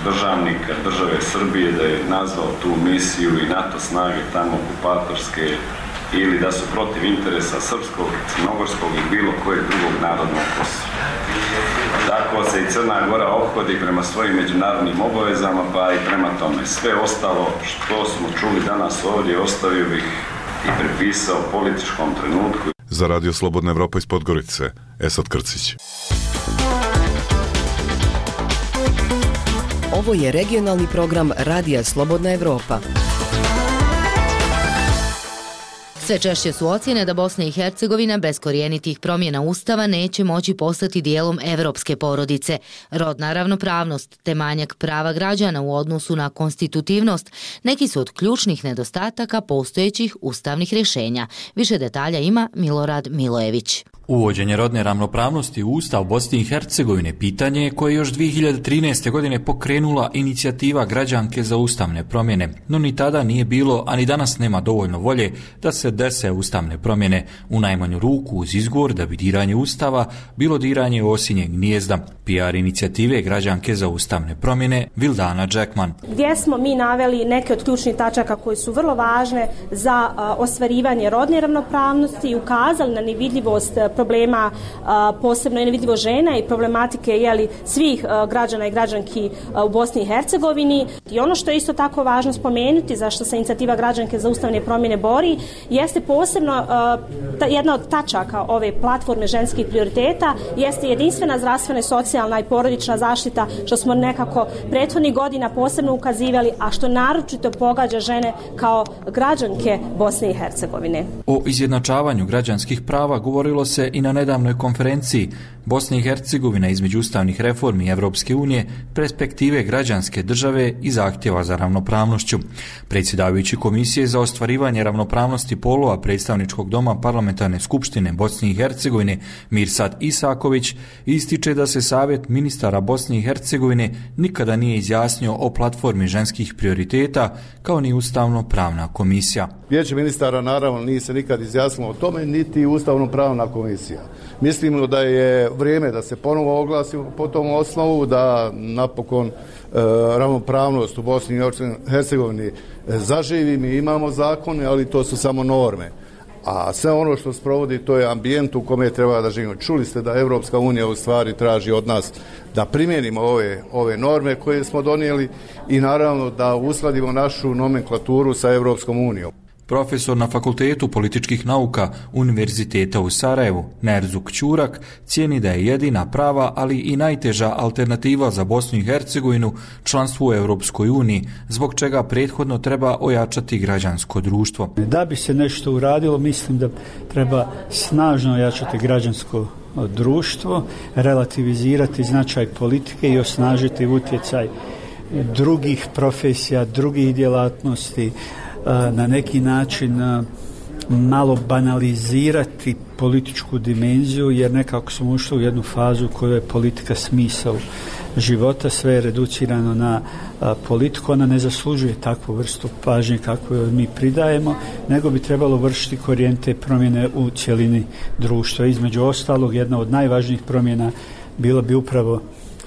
državnika države Srbije da je nazvao tu misiju i NATO snage tamo okupatorske ili da su protiv interesa srpskog, crnogorskog i bilo kojeg drugog naroda na Kosovu. Tako se i Crna Gora ophodi prema svojim međunarodnim obavezama, pa i prema tome. Sve ostalo što smo čuli danas ovdje ostavio bih i prepisao političkom trenutku. Za Radio Slobodna Evropa iz Podgorice, Esad Krcić. Ovo je regionalni program Radija Slobodna Evropa. Sve češće su ocjene da Bosna i Hercegovina bez korijenitih promjena Ustava neće moći postati dijelom evropske porodice. Rodna ravnopravnost te manjak prava građana u odnosu na konstitutivnost neki su od ključnih nedostataka postojećih ustavnih rješenja. Više detalja ima Milorad Milojević. Uvođenje rodne ravnopravnosti u Ustav Bosne i Hercegovine pitanje je koje još 2013. godine pokrenula inicijativa građanke za ustavne promjene, no ni tada nije bilo, a ni danas nema dovoljno volje da se dese ustavne promjene, u najmanju ruku uz izgovor da bi diranje Ustava bilo diranje osinjeg gnijezda. PR inicijative građanke za ustavne promjene Vildana Džekman. Gdje smo mi naveli neke od ključnih tačaka koje su vrlo važne za ostvarivanje rodne ravnopravnosti i ukazali na nevidljivost problema, posebno je nevidljivo žena i problematike svih građana i građanki u Bosni i Hercegovini. I ono što je isto tako važno spomenuti, zašto se inicijativa građanke za ustavne promjene bori, jeste posebno jedna od tačaka ove platforme ženskih prioriteta, jeste jedinstvena zdravstvena, socijalna i porodična zaštita, što smo nekako prethodnih godina posebno ukazivali, a što naročito pogađa žene kao građanke Bosne i Hercegovine. O izjednačavanju građanskih prava govorilo se i na nedavnoj konferenciji Bosna i Hercegovina između ustavnih reformi Evropske unije, perspektive građanske države i zahtjeva za ravnopravnošću. Predsjedavajući Komisije za ostvarivanje ravnopravnosti polova Predstavničkog doma Parlamentarne skupštine Bosne i Hercegovine Mirsad Isaković ističe da se Savjet ministara Bosne i Hercegovine nikada nije izjasnio o platformi ženskih prioriteta kao ni ustavno-pravna komisija. Vijeće ministara naravno nije se nikad izjasnilo o tome, niti ustavno-pravna komisija. Mislimo da je vrijeme da se ponovo oglasi po tom osnovu, da napokon ravnopravnost u Bosni i Hercegovini zaživi. Mi imamo zakone, ali to su samo norme. A sve ono što sprovodi, to je ambijent u kome treba da živimo. Čuli ste da Evropska unija u stvari traži od nas da primijenimo ove norme koje smo donijeli i naravno da uskladimo našu nomenklaturu sa Evropskom unijom. Profesor na Fakultetu političkih nauka Univerziteta u Sarajevu, Nerzuk Ćurak, cijeni da je jedina prava, ali i najteža alternativa za Bosnu i Hercegovinu članstvu u Europskoj uniji, zbog čega prethodno treba ojačati građansko društvo. Da bi se nešto uradilo, mislim da treba snažno ojačati građansko društvo, relativizirati značaj politike i osnažiti utjecaj drugih profesija, drugih djelatnosti, na neki način malo banalizirati političku dimenziju, jer nekako smo ušli u jednu fazu u kojoj je politika smisao života, sve je reducirano na politiku, ona ne zaslužuje takvu vrstu pažnje kakvu joj mi pridajemo, nego bi trebalo vršiti korijente promjene u cjelini društva. Između ostalog, jedna od najvažnijih promjena bila bi upravo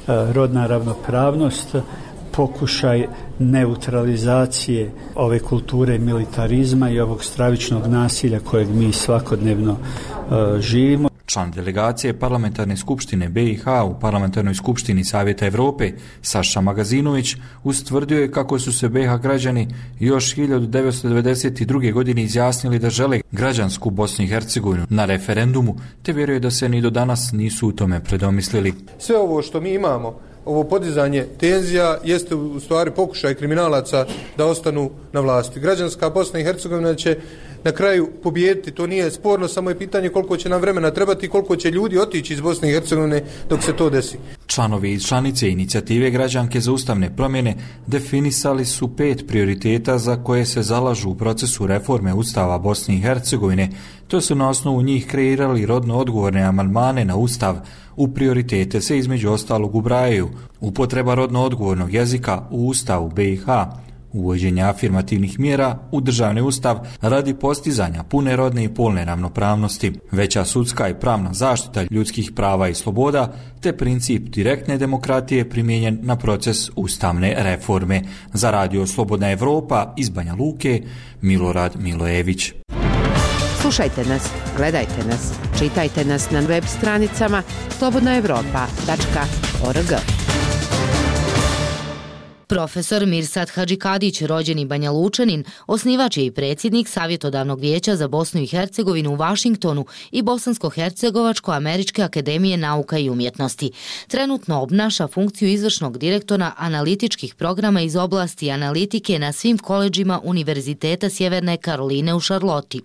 rodna ravnopravnost, pokušaj neutralizacije ove kulture militarizma i ovog stravičnog nasilja kojeg mi svakodnevno živimo. Član delegacije Parlamentarne skupštine BiH u Parlamentarnoj skupštini Savjeta Evrope Saša Magazinović ustvrdio je kako su se BiH građani još 1992. godine izjasnili da žele građansku Bosnu i Hercegovinu na referendumu, te vjeruje da se ni do danas nisu u tome predomislili. Sve ovo što mi imamo, ovo podizanje tenzija, jeste u stvari pokušaj kriminalaca da ostanu na vlasti. Građanska Bosna i Hercegovina će na kraju pobijediti, to nije sporno, samo je pitanje koliko će nam vremena trebati i koliko će ljudi otići iz Bosne i Hercegovine dok se to desi. Članovi i članice inicijative građanke za ustavne promjene definisali su 5 prioriteta za koje se zalažu u procesu reforme Ustava Bosne i Hercegovine. To su na osnovu njih kreirali rodno odgovorne amandmane na Ustav. U prioritete se između ostalog ubrajaju upotreba rodno odgovornog jezika u Ustavu BiH, uvođenje afirmativnih mjera u državni ustav radi postizanja pune rodne i polne ravnopravnosti, veća sudska i pravna zaštita ljudskih prava i sloboda, te princip direktne demokratije primijenjen na proces ustavne reforme. Za Radio Slobodna Evropa iz Banja Luke, Milorad Milojević. Slušajte nas, gledajte nas, čitajte nas na web stranicama slobodnaevropa.org. Profesor Mirsad Hadžikadić, rođeni Banja Lučanin, osnivač je i predsjednik Savjetodavnog vijeća za Bosnu i Hercegovinu u Vašingtonu i Bosansko-Hercegovačko-Američke akademije nauka i umjetnosti. Trenutno obnaša funkciju izvršnog direktora analitičkih programa iz oblasti analitike na svim koledžima Univerziteta Sjeverne Karoline u Šarloti.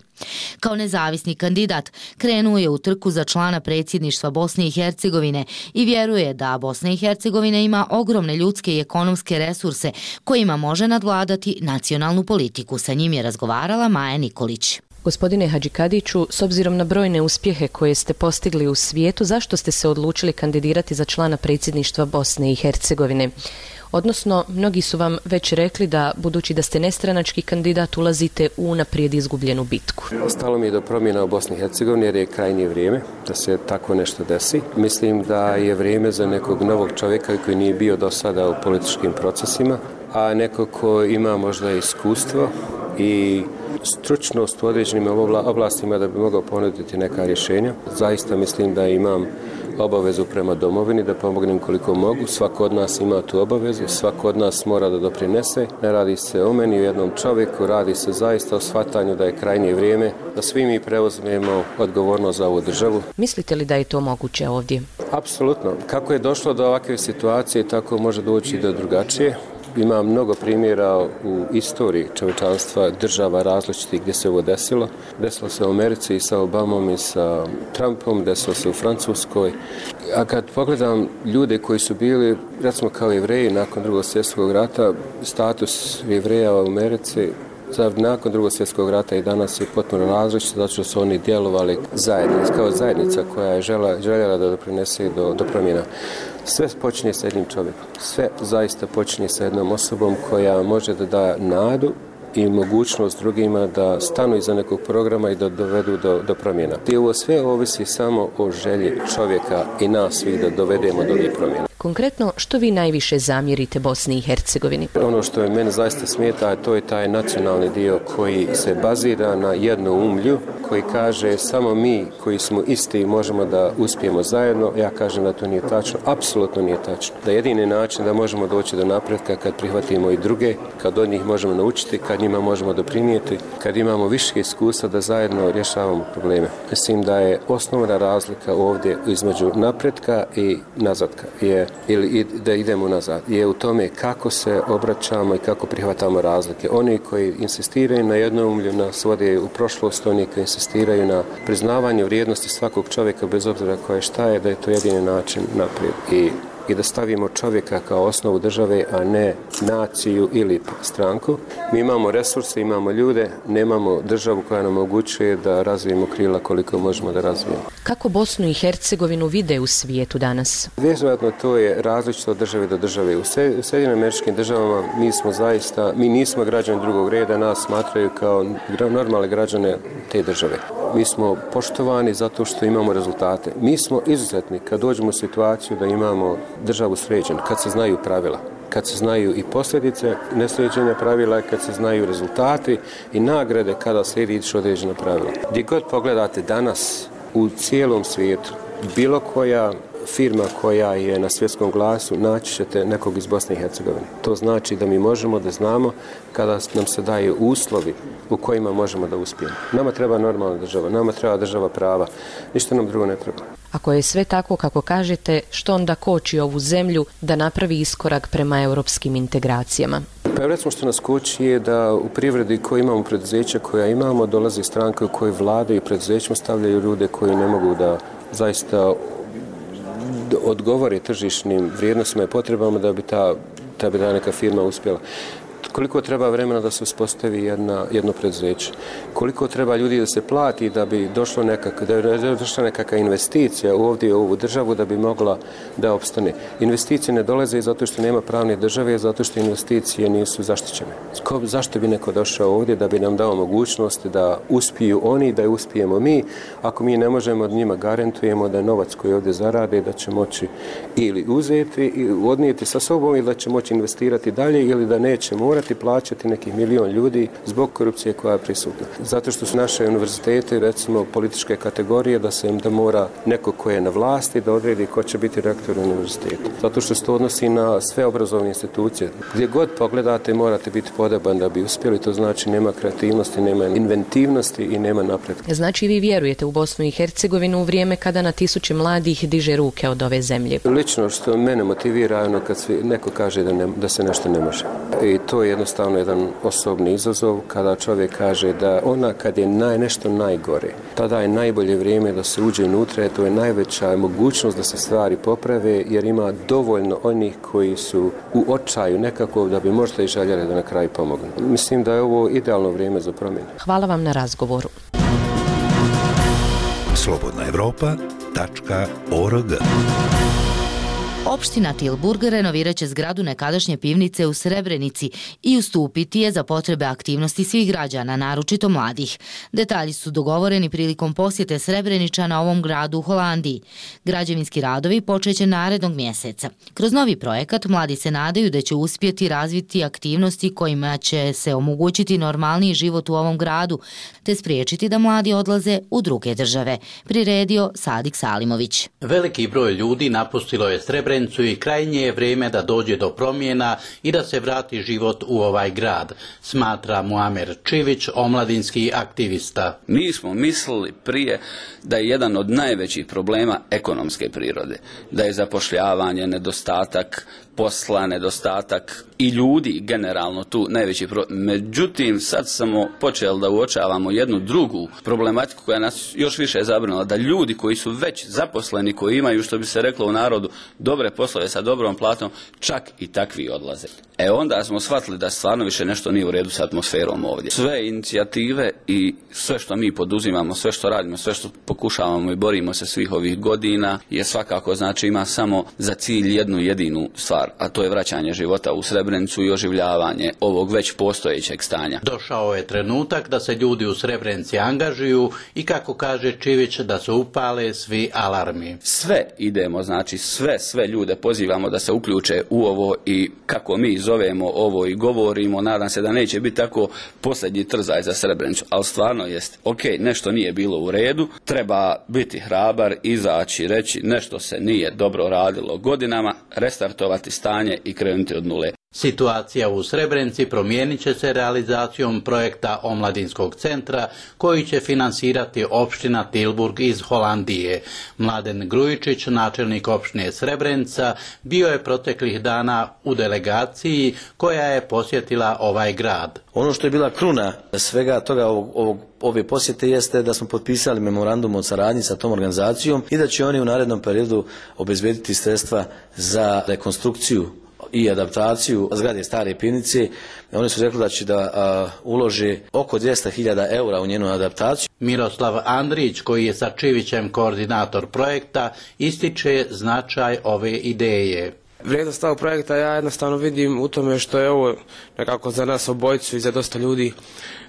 Kao nezavisni kandidat krenuo je u trku za člana predsjedništva Bosne i Hercegovine i vjeruje da Bosna i Hercegovina ima ogromne ljudske i ekonomske resurse kojima može nadvladati nacionalnu politiku. Sa njim je razgovarala Maja Nikolić. Gospodine Hadžikadiću, s obzirom na brojne uspjehe koje ste postigli u svijetu, zašto ste se odlučili kandidirati za člana predsjedništva Bosne i Hercegovine? Odnosno, mnogi su vam već rekli da, budući da ste nestranački kandidat, ulazite u unaprijed izgubljenu bitku. Stalo mi je do promjena u Bosni i Hercegovini jer je krajnje vrijeme da se tako nešto desi. Mislim da je vrijeme za nekog novog čovjeka koji nije bio do sada u političkim procesima, a neko ko ima možda iskustvo i stručnost u određenim oblastima da bi mogao ponuditi neka rješenja. Zaista mislim da imam obavezu prema domovini, da pomognem koliko mogu. Svako od nas ima tu obavezu, svako od nas mora da doprinese. Ne radi se o meni, o jednom čovjeku, radi se zaista o shvatanju da je krajnje vrijeme da svi mi preuzmemo odgovornost za ovu državu. Mislite li da je to moguće ovdje? Apsolutno. Kako je došlo do ovakve situacije, tako može doći do drugačije. Ima mnogo primjera u istoriji čovječanstva, država različitih gdje se ovo desilo. Desilo se u Americi i sa Obamom i sa Trumpom, desilo se u Francuskoj. A kad pogledam ljude koji su bili, recimo kao Jevreji nakon Drugog svjetskog rata, status Jevreja u Americi nakon Drugog svjetskog rata i danas je potpuno različit, zato što su oni djelovali kao zajednica koja je željela da doprinese do promjena. Sve počinje sa jednim čovjekom. Sve zaista počinje sa jednom osobom koja može da da nadu i mogućnost drugima da stanu iza nekog programa i da dovedu do promjena. I ovo sve ovisi samo o želji čovjeka i nas svih da dovedemo do ovih promjena. Konkretno, što vi najviše zamjerite Bosni i Hercegovini? Ono što je mene zaista smeta, to je taj nacionalni dio koji se bazira na jednoumlju, koji kaže samo mi koji smo isti možemo da uspijemo zajedno. Ja kažem da to nije tačno, apsolutno nije tačno. Da jedini način da možemo doći do napretka kad prihvatimo i druge, kad od njih možemo naučiti, kad njima možemo doprinijeti, kad imamo više iskustva da zajedno rješavamo probleme. Mislim da je osnovna razlika ovdje između napretka i nazadka ili da idemo nazad, je u tome kako se obraćamo i kako prihvatamo razlike. Oni koji insistiraju na jednoumlju nas vode u prošlost, oni koji insistiraju na priznavanju vrijednosti svakog čovjeka bez obzira koje šta je, da je to jedini način naprijed. I da stavimo čovjeka kao osnovu države, a ne naciju ili stranku. Mi imamo resurse, imamo ljude, nemamo državu koja nam omogućuje da razvijemo krila koliko možemo da razvijemo. Kako Bosnu i Hercegovinu vide u svijetu danas? Vjerojatno to je različito od države do države. U Sjedinjenim Američkim državama mi nismo građani drugog reda, nas smatraju kao normalne građane te države. Mi smo poštovani zato što imamo rezultate. Mi smo izuzetni kad dođemo u situaciju da imamo državu sređenu, kad se znaju pravila, kad se znaju i posljedice nesređenja pravila, kad se znaju rezultati i nagrade kada slijediš određena pravila. Gdje god pogledate danas u cijelom svijetu, bilo koja firma koja je na svjetskom glasu, naći ćete nekog iz Bosne i Hercegovine. To znači da mi možemo da znamo kada nam se daju uslovi u kojima možemo da uspijemo. Nama treba normalna država, nama treba država prava, ništa nam drugo ne treba. Ako je sve tako kako kažete, što onda koči ovu zemlju da napravi iskorak prema europskim integracijama? Pa recimo što nas koči je da u privredi koji imamo preduzeća koja imamo, dolazi stranke u kojoj vladaju preduzećima, stavljaju ljude koji ne mogu da zaista odgovore tržišnim vrijednostima i potrebama da bi ta neka firma uspjela. Koliko treba vremena da se uspostavi jedno preduzeće? Koliko treba ljudi da se plati da bi došla nekakva investicija ovdje u ovu državu da bi mogla da opstane? Investicije ne dolaze zato što nema pravne države, zato što investicije nisu zaštićene. Zašto bi neko došao ovdje da bi nam dao mogućnost da uspiju oni, da uspijemo mi, ako mi ne možemo od njima garantujemo da novac koji ovdje zarade da će moći ili uzeti i odnijeti sa sobom ili da će moći investirati dalje ili da neće morati plaćati nekih 1 milion ljudi zbog korupcije koja je prisutna. Zato što su naše univerzitete, recimo političke kategorije, da mora neko ko je na vlasti da odredi ko će biti rektor univerziteta. Zato što se to odnosi na sve obrazovne institucije. Gdje god pogledate morate biti podoban da bi uspjeli, to znači nema kreativnosti, nema inventivnosti i nema napretka. Znači vi vjerujete u Bosnu i Hercegovinu u vrijeme kada na tisuće mladih diže ruke od ove zemlje? Lično što mene motivira kad neko kaže da se nešto ne može. I to je jednostavno jedan osobni izazov kada čovjek kaže da kad je nešto najgore, tada je najbolje vrijeme da se uđe unutra, to je najveća mogućnost da se stvari poprave jer ima dovoljno onih koji su u očaju nekako da bi možda i željeli da na kraju pomognu. Mislim da je ovo idealno vrijeme za promjenu. Hvala vam na razgovoru. slobodnaevropa.org. Opština Tilburg renovirat će zgradu nekadašnje pivnice u Srebrenici i ustupiti je za potrebe aktivnosti svih građana, naročito mladih. Detalji su dogovoreni prilikom posjete Srebreničana ovom gradu u Holandiji. Građevinski radovi počeće narednog mjeseca. Kroz novi projekat mladi se nadaju da će uspjeti razviti aktivnosti kojima će se omogućiti normalniji život u ovom gradu, te spriječiti da mladi odlaze u druge države. Priredio Sadik Salimović. Veliki broj ljudi napustilo je Srebrenicu i krajnje je vrijeme da dođe do promjena i da se vrati život u ovaj grad, smatra Muamer Čivić, omladinski aktivista. Mi smo mislili prije da je jedan od najvećih problema ekonomske prirode, da je zapošljavanje, nedostatak posla, nedostatak i ljudi generalno tu najveći problem. Međutim, sad smo počeli da uočavamo jednu drugu problematiku koja nas još više zabrinula, da ljudi koji su već zaposleni, koji imaju, što bi se reklo u narodu, dobre poslove sa dobrom platom, čak i takvi odlaze. Onda smo shvatili da stvarno više nešto nije u redu sa atmosferom ovdje. Sve inicijative i sve što mi poduzimamo, sve što radimo, sve što pokušavamo i borimo se svih ovih godina je svakako znači ima samo za cilj jednu jedinu stvar, a to je vraćanje života u Srebrenicu i oživljavanje ovog već postojećeg stanja. Došao je trenutak da se ljudi u Srebrenici angažuju i kako kaže Čivić da se upale svi alarmi. Sve idemo, znači sve ljude pozivamo da se uključe u ovo i kako mi zovemo ovo i govorimo, nadam se da neće biti tako posljednji trzaj za Srebrenicu, ali stvarno jest, nešto nije bilo u redu, treba biti hrabar, izaći, reći nešto se nije dobro radilo godinama, restartovati stanje i krenuti od nule. Situacija u Srebrenici promijenit će se realizacijom projekta Omladinskog centra koji će finansirati opština Tilburg iz Holandije. Mladen Grujičić, načelnik opštine Srebrenica, bio je proteklih dana u delegaciji koja je posjetila ovaj grad. Ono što je bila kruna svega toga ove posjete jeste da smo potpisali memorandum o saradnji sa tom organizacijom i da će oni u narednom periodu obezbediti sredstva za rekonstrukciju i adaptaciju zgrade stare pivnice. Oni su rekli da će da ulože oko 200.000 eura u njenu adaptaciju. Miroslav Andrić, koji je sa Čivićem koordinator projekta, ističe značaj ove ideje. Vrijednost ovog projekta ja jednostavno vidim u tome što je ovo nekako za nas obojicu i za dosta ljudi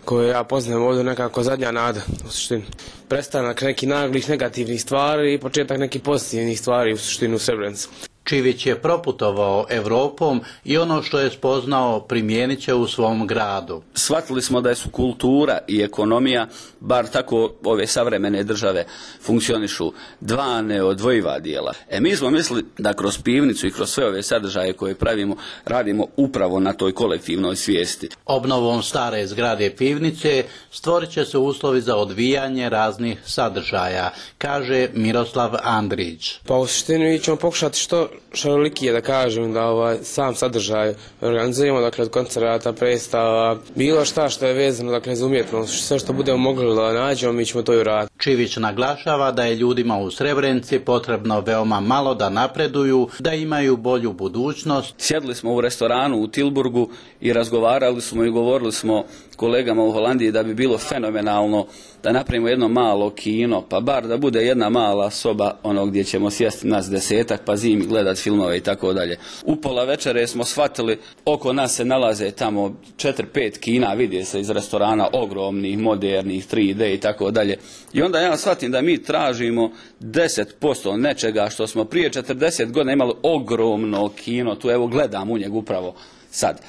koje ja poznajem ovdje nekako zadnja nada. U suštini prestanak nekih naglih negativnih stvari i početak nekih pozitivnih stvari u suštini u Srebrenici. Čivić je proputovao Evropom i ono što je spoznao primijenit će u svom gradu. Shvatili smo da su kultura i ekonomija, bar tako ove savremene države funkcionišu, dva neodvojiva dijela. Mi smo mislili da kroz pivnicu i kroz sve ove sadržaje koje pravimo, radimo upravo na toj kolektivnoj svijesti. Obnovom stare zgrade pivnice stvorit će se uslovi za odvijanje raznih sadržaja, kaže Miroslav Andrić. Pa u suštini ćemo pokušati što šarolikije, da kažem, da sam sadržaj organizujemo, dakle od koncerata, predstava, bilo šta što je vezano, dakle za umjetnost, sve što budemo mogli da nađemo, mi ćemo to i uraditi. Čivić naglašava da je ljudima u Srebrenici potrebno veoma malo da napreduju, da imaju bolju budućnost. Sjedli smo u restoranu u Tilburgu i razgovarali smo i govorili smo kolegama u Holandiji da bi bilo fenomenalno da napravimo jedno malo kino, pa bar da bude jedna mala soba gdje ćemo sjesti nas 10-ak pa zimi gledati filmove i tako dalje. U pola večere smo shvatili, oko nas se nalaze tamo 4-5 kina, vidi se iz restorana, ogromnih, modernih, 3D i tako dalje. I onda ja shvatim da mi tražimo 10% nečega što smo prije 40 godina imali ogromno kino, tu evo gledam u njeg upravo sad.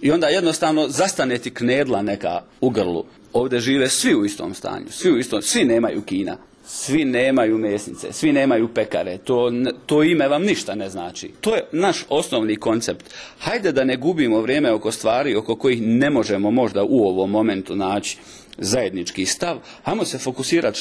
I onda jednostavno zastane ti knedla neka u grlu. Ovdje žive svi u istom stanju, svi nemaju kina, svi nemaju mesnice, svi nemaju pekare, to ime vam ništa ne znači. To je naš osnovni koncept. Hajde da ne gubimo vrijeme oko stvari oko kojih ne možemo možda u ovom momentu naći zajednički stav, hajmo se fokusirati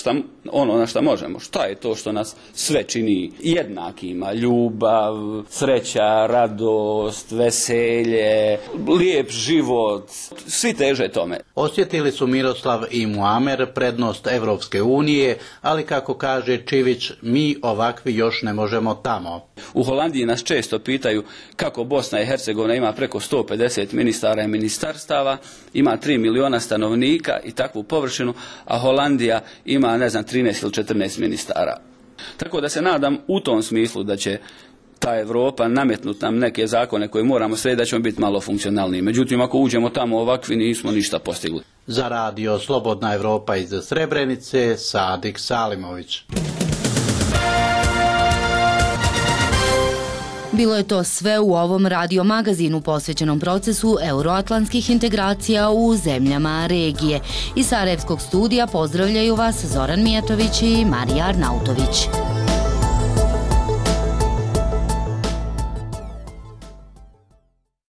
na šta možemo. Šta je to što nas sve čini jednakima? Ljubav, sreća, radost, veselje, lijep život, svi teže tome. Osjetili su Miroslav i Muamer prednost Evropske unije, ali kako kaže Čivić, mi ovakvi još ne možemo tamo. U Holandiji nas često pitaju kako Bosna i Hercegovina ima preko 150 ministara i ministarstava, ima 3 miliona stanovnika i takvu površinu, a Holandija ima, 13 ili 14 ministara. Tako da se nadam u tom smislu da će ta Evropa nametnuti nam neke zakone koje moramo srediti, da ćemo biti malo funkcionalniji. Međutim, ako uđemo tamo ovakvi, nismo ništa postigli. Za radio Slobodna Evropa iz Srebrenice, Sadik Salimović. Bilo je to sve u ovom radio magazinu posvećenom procesu euroatlantskih integracija u zemljama regije. Iz Sarajevskog studija pozdravljaju vas Zoran Mijatović i Marija Arnautović.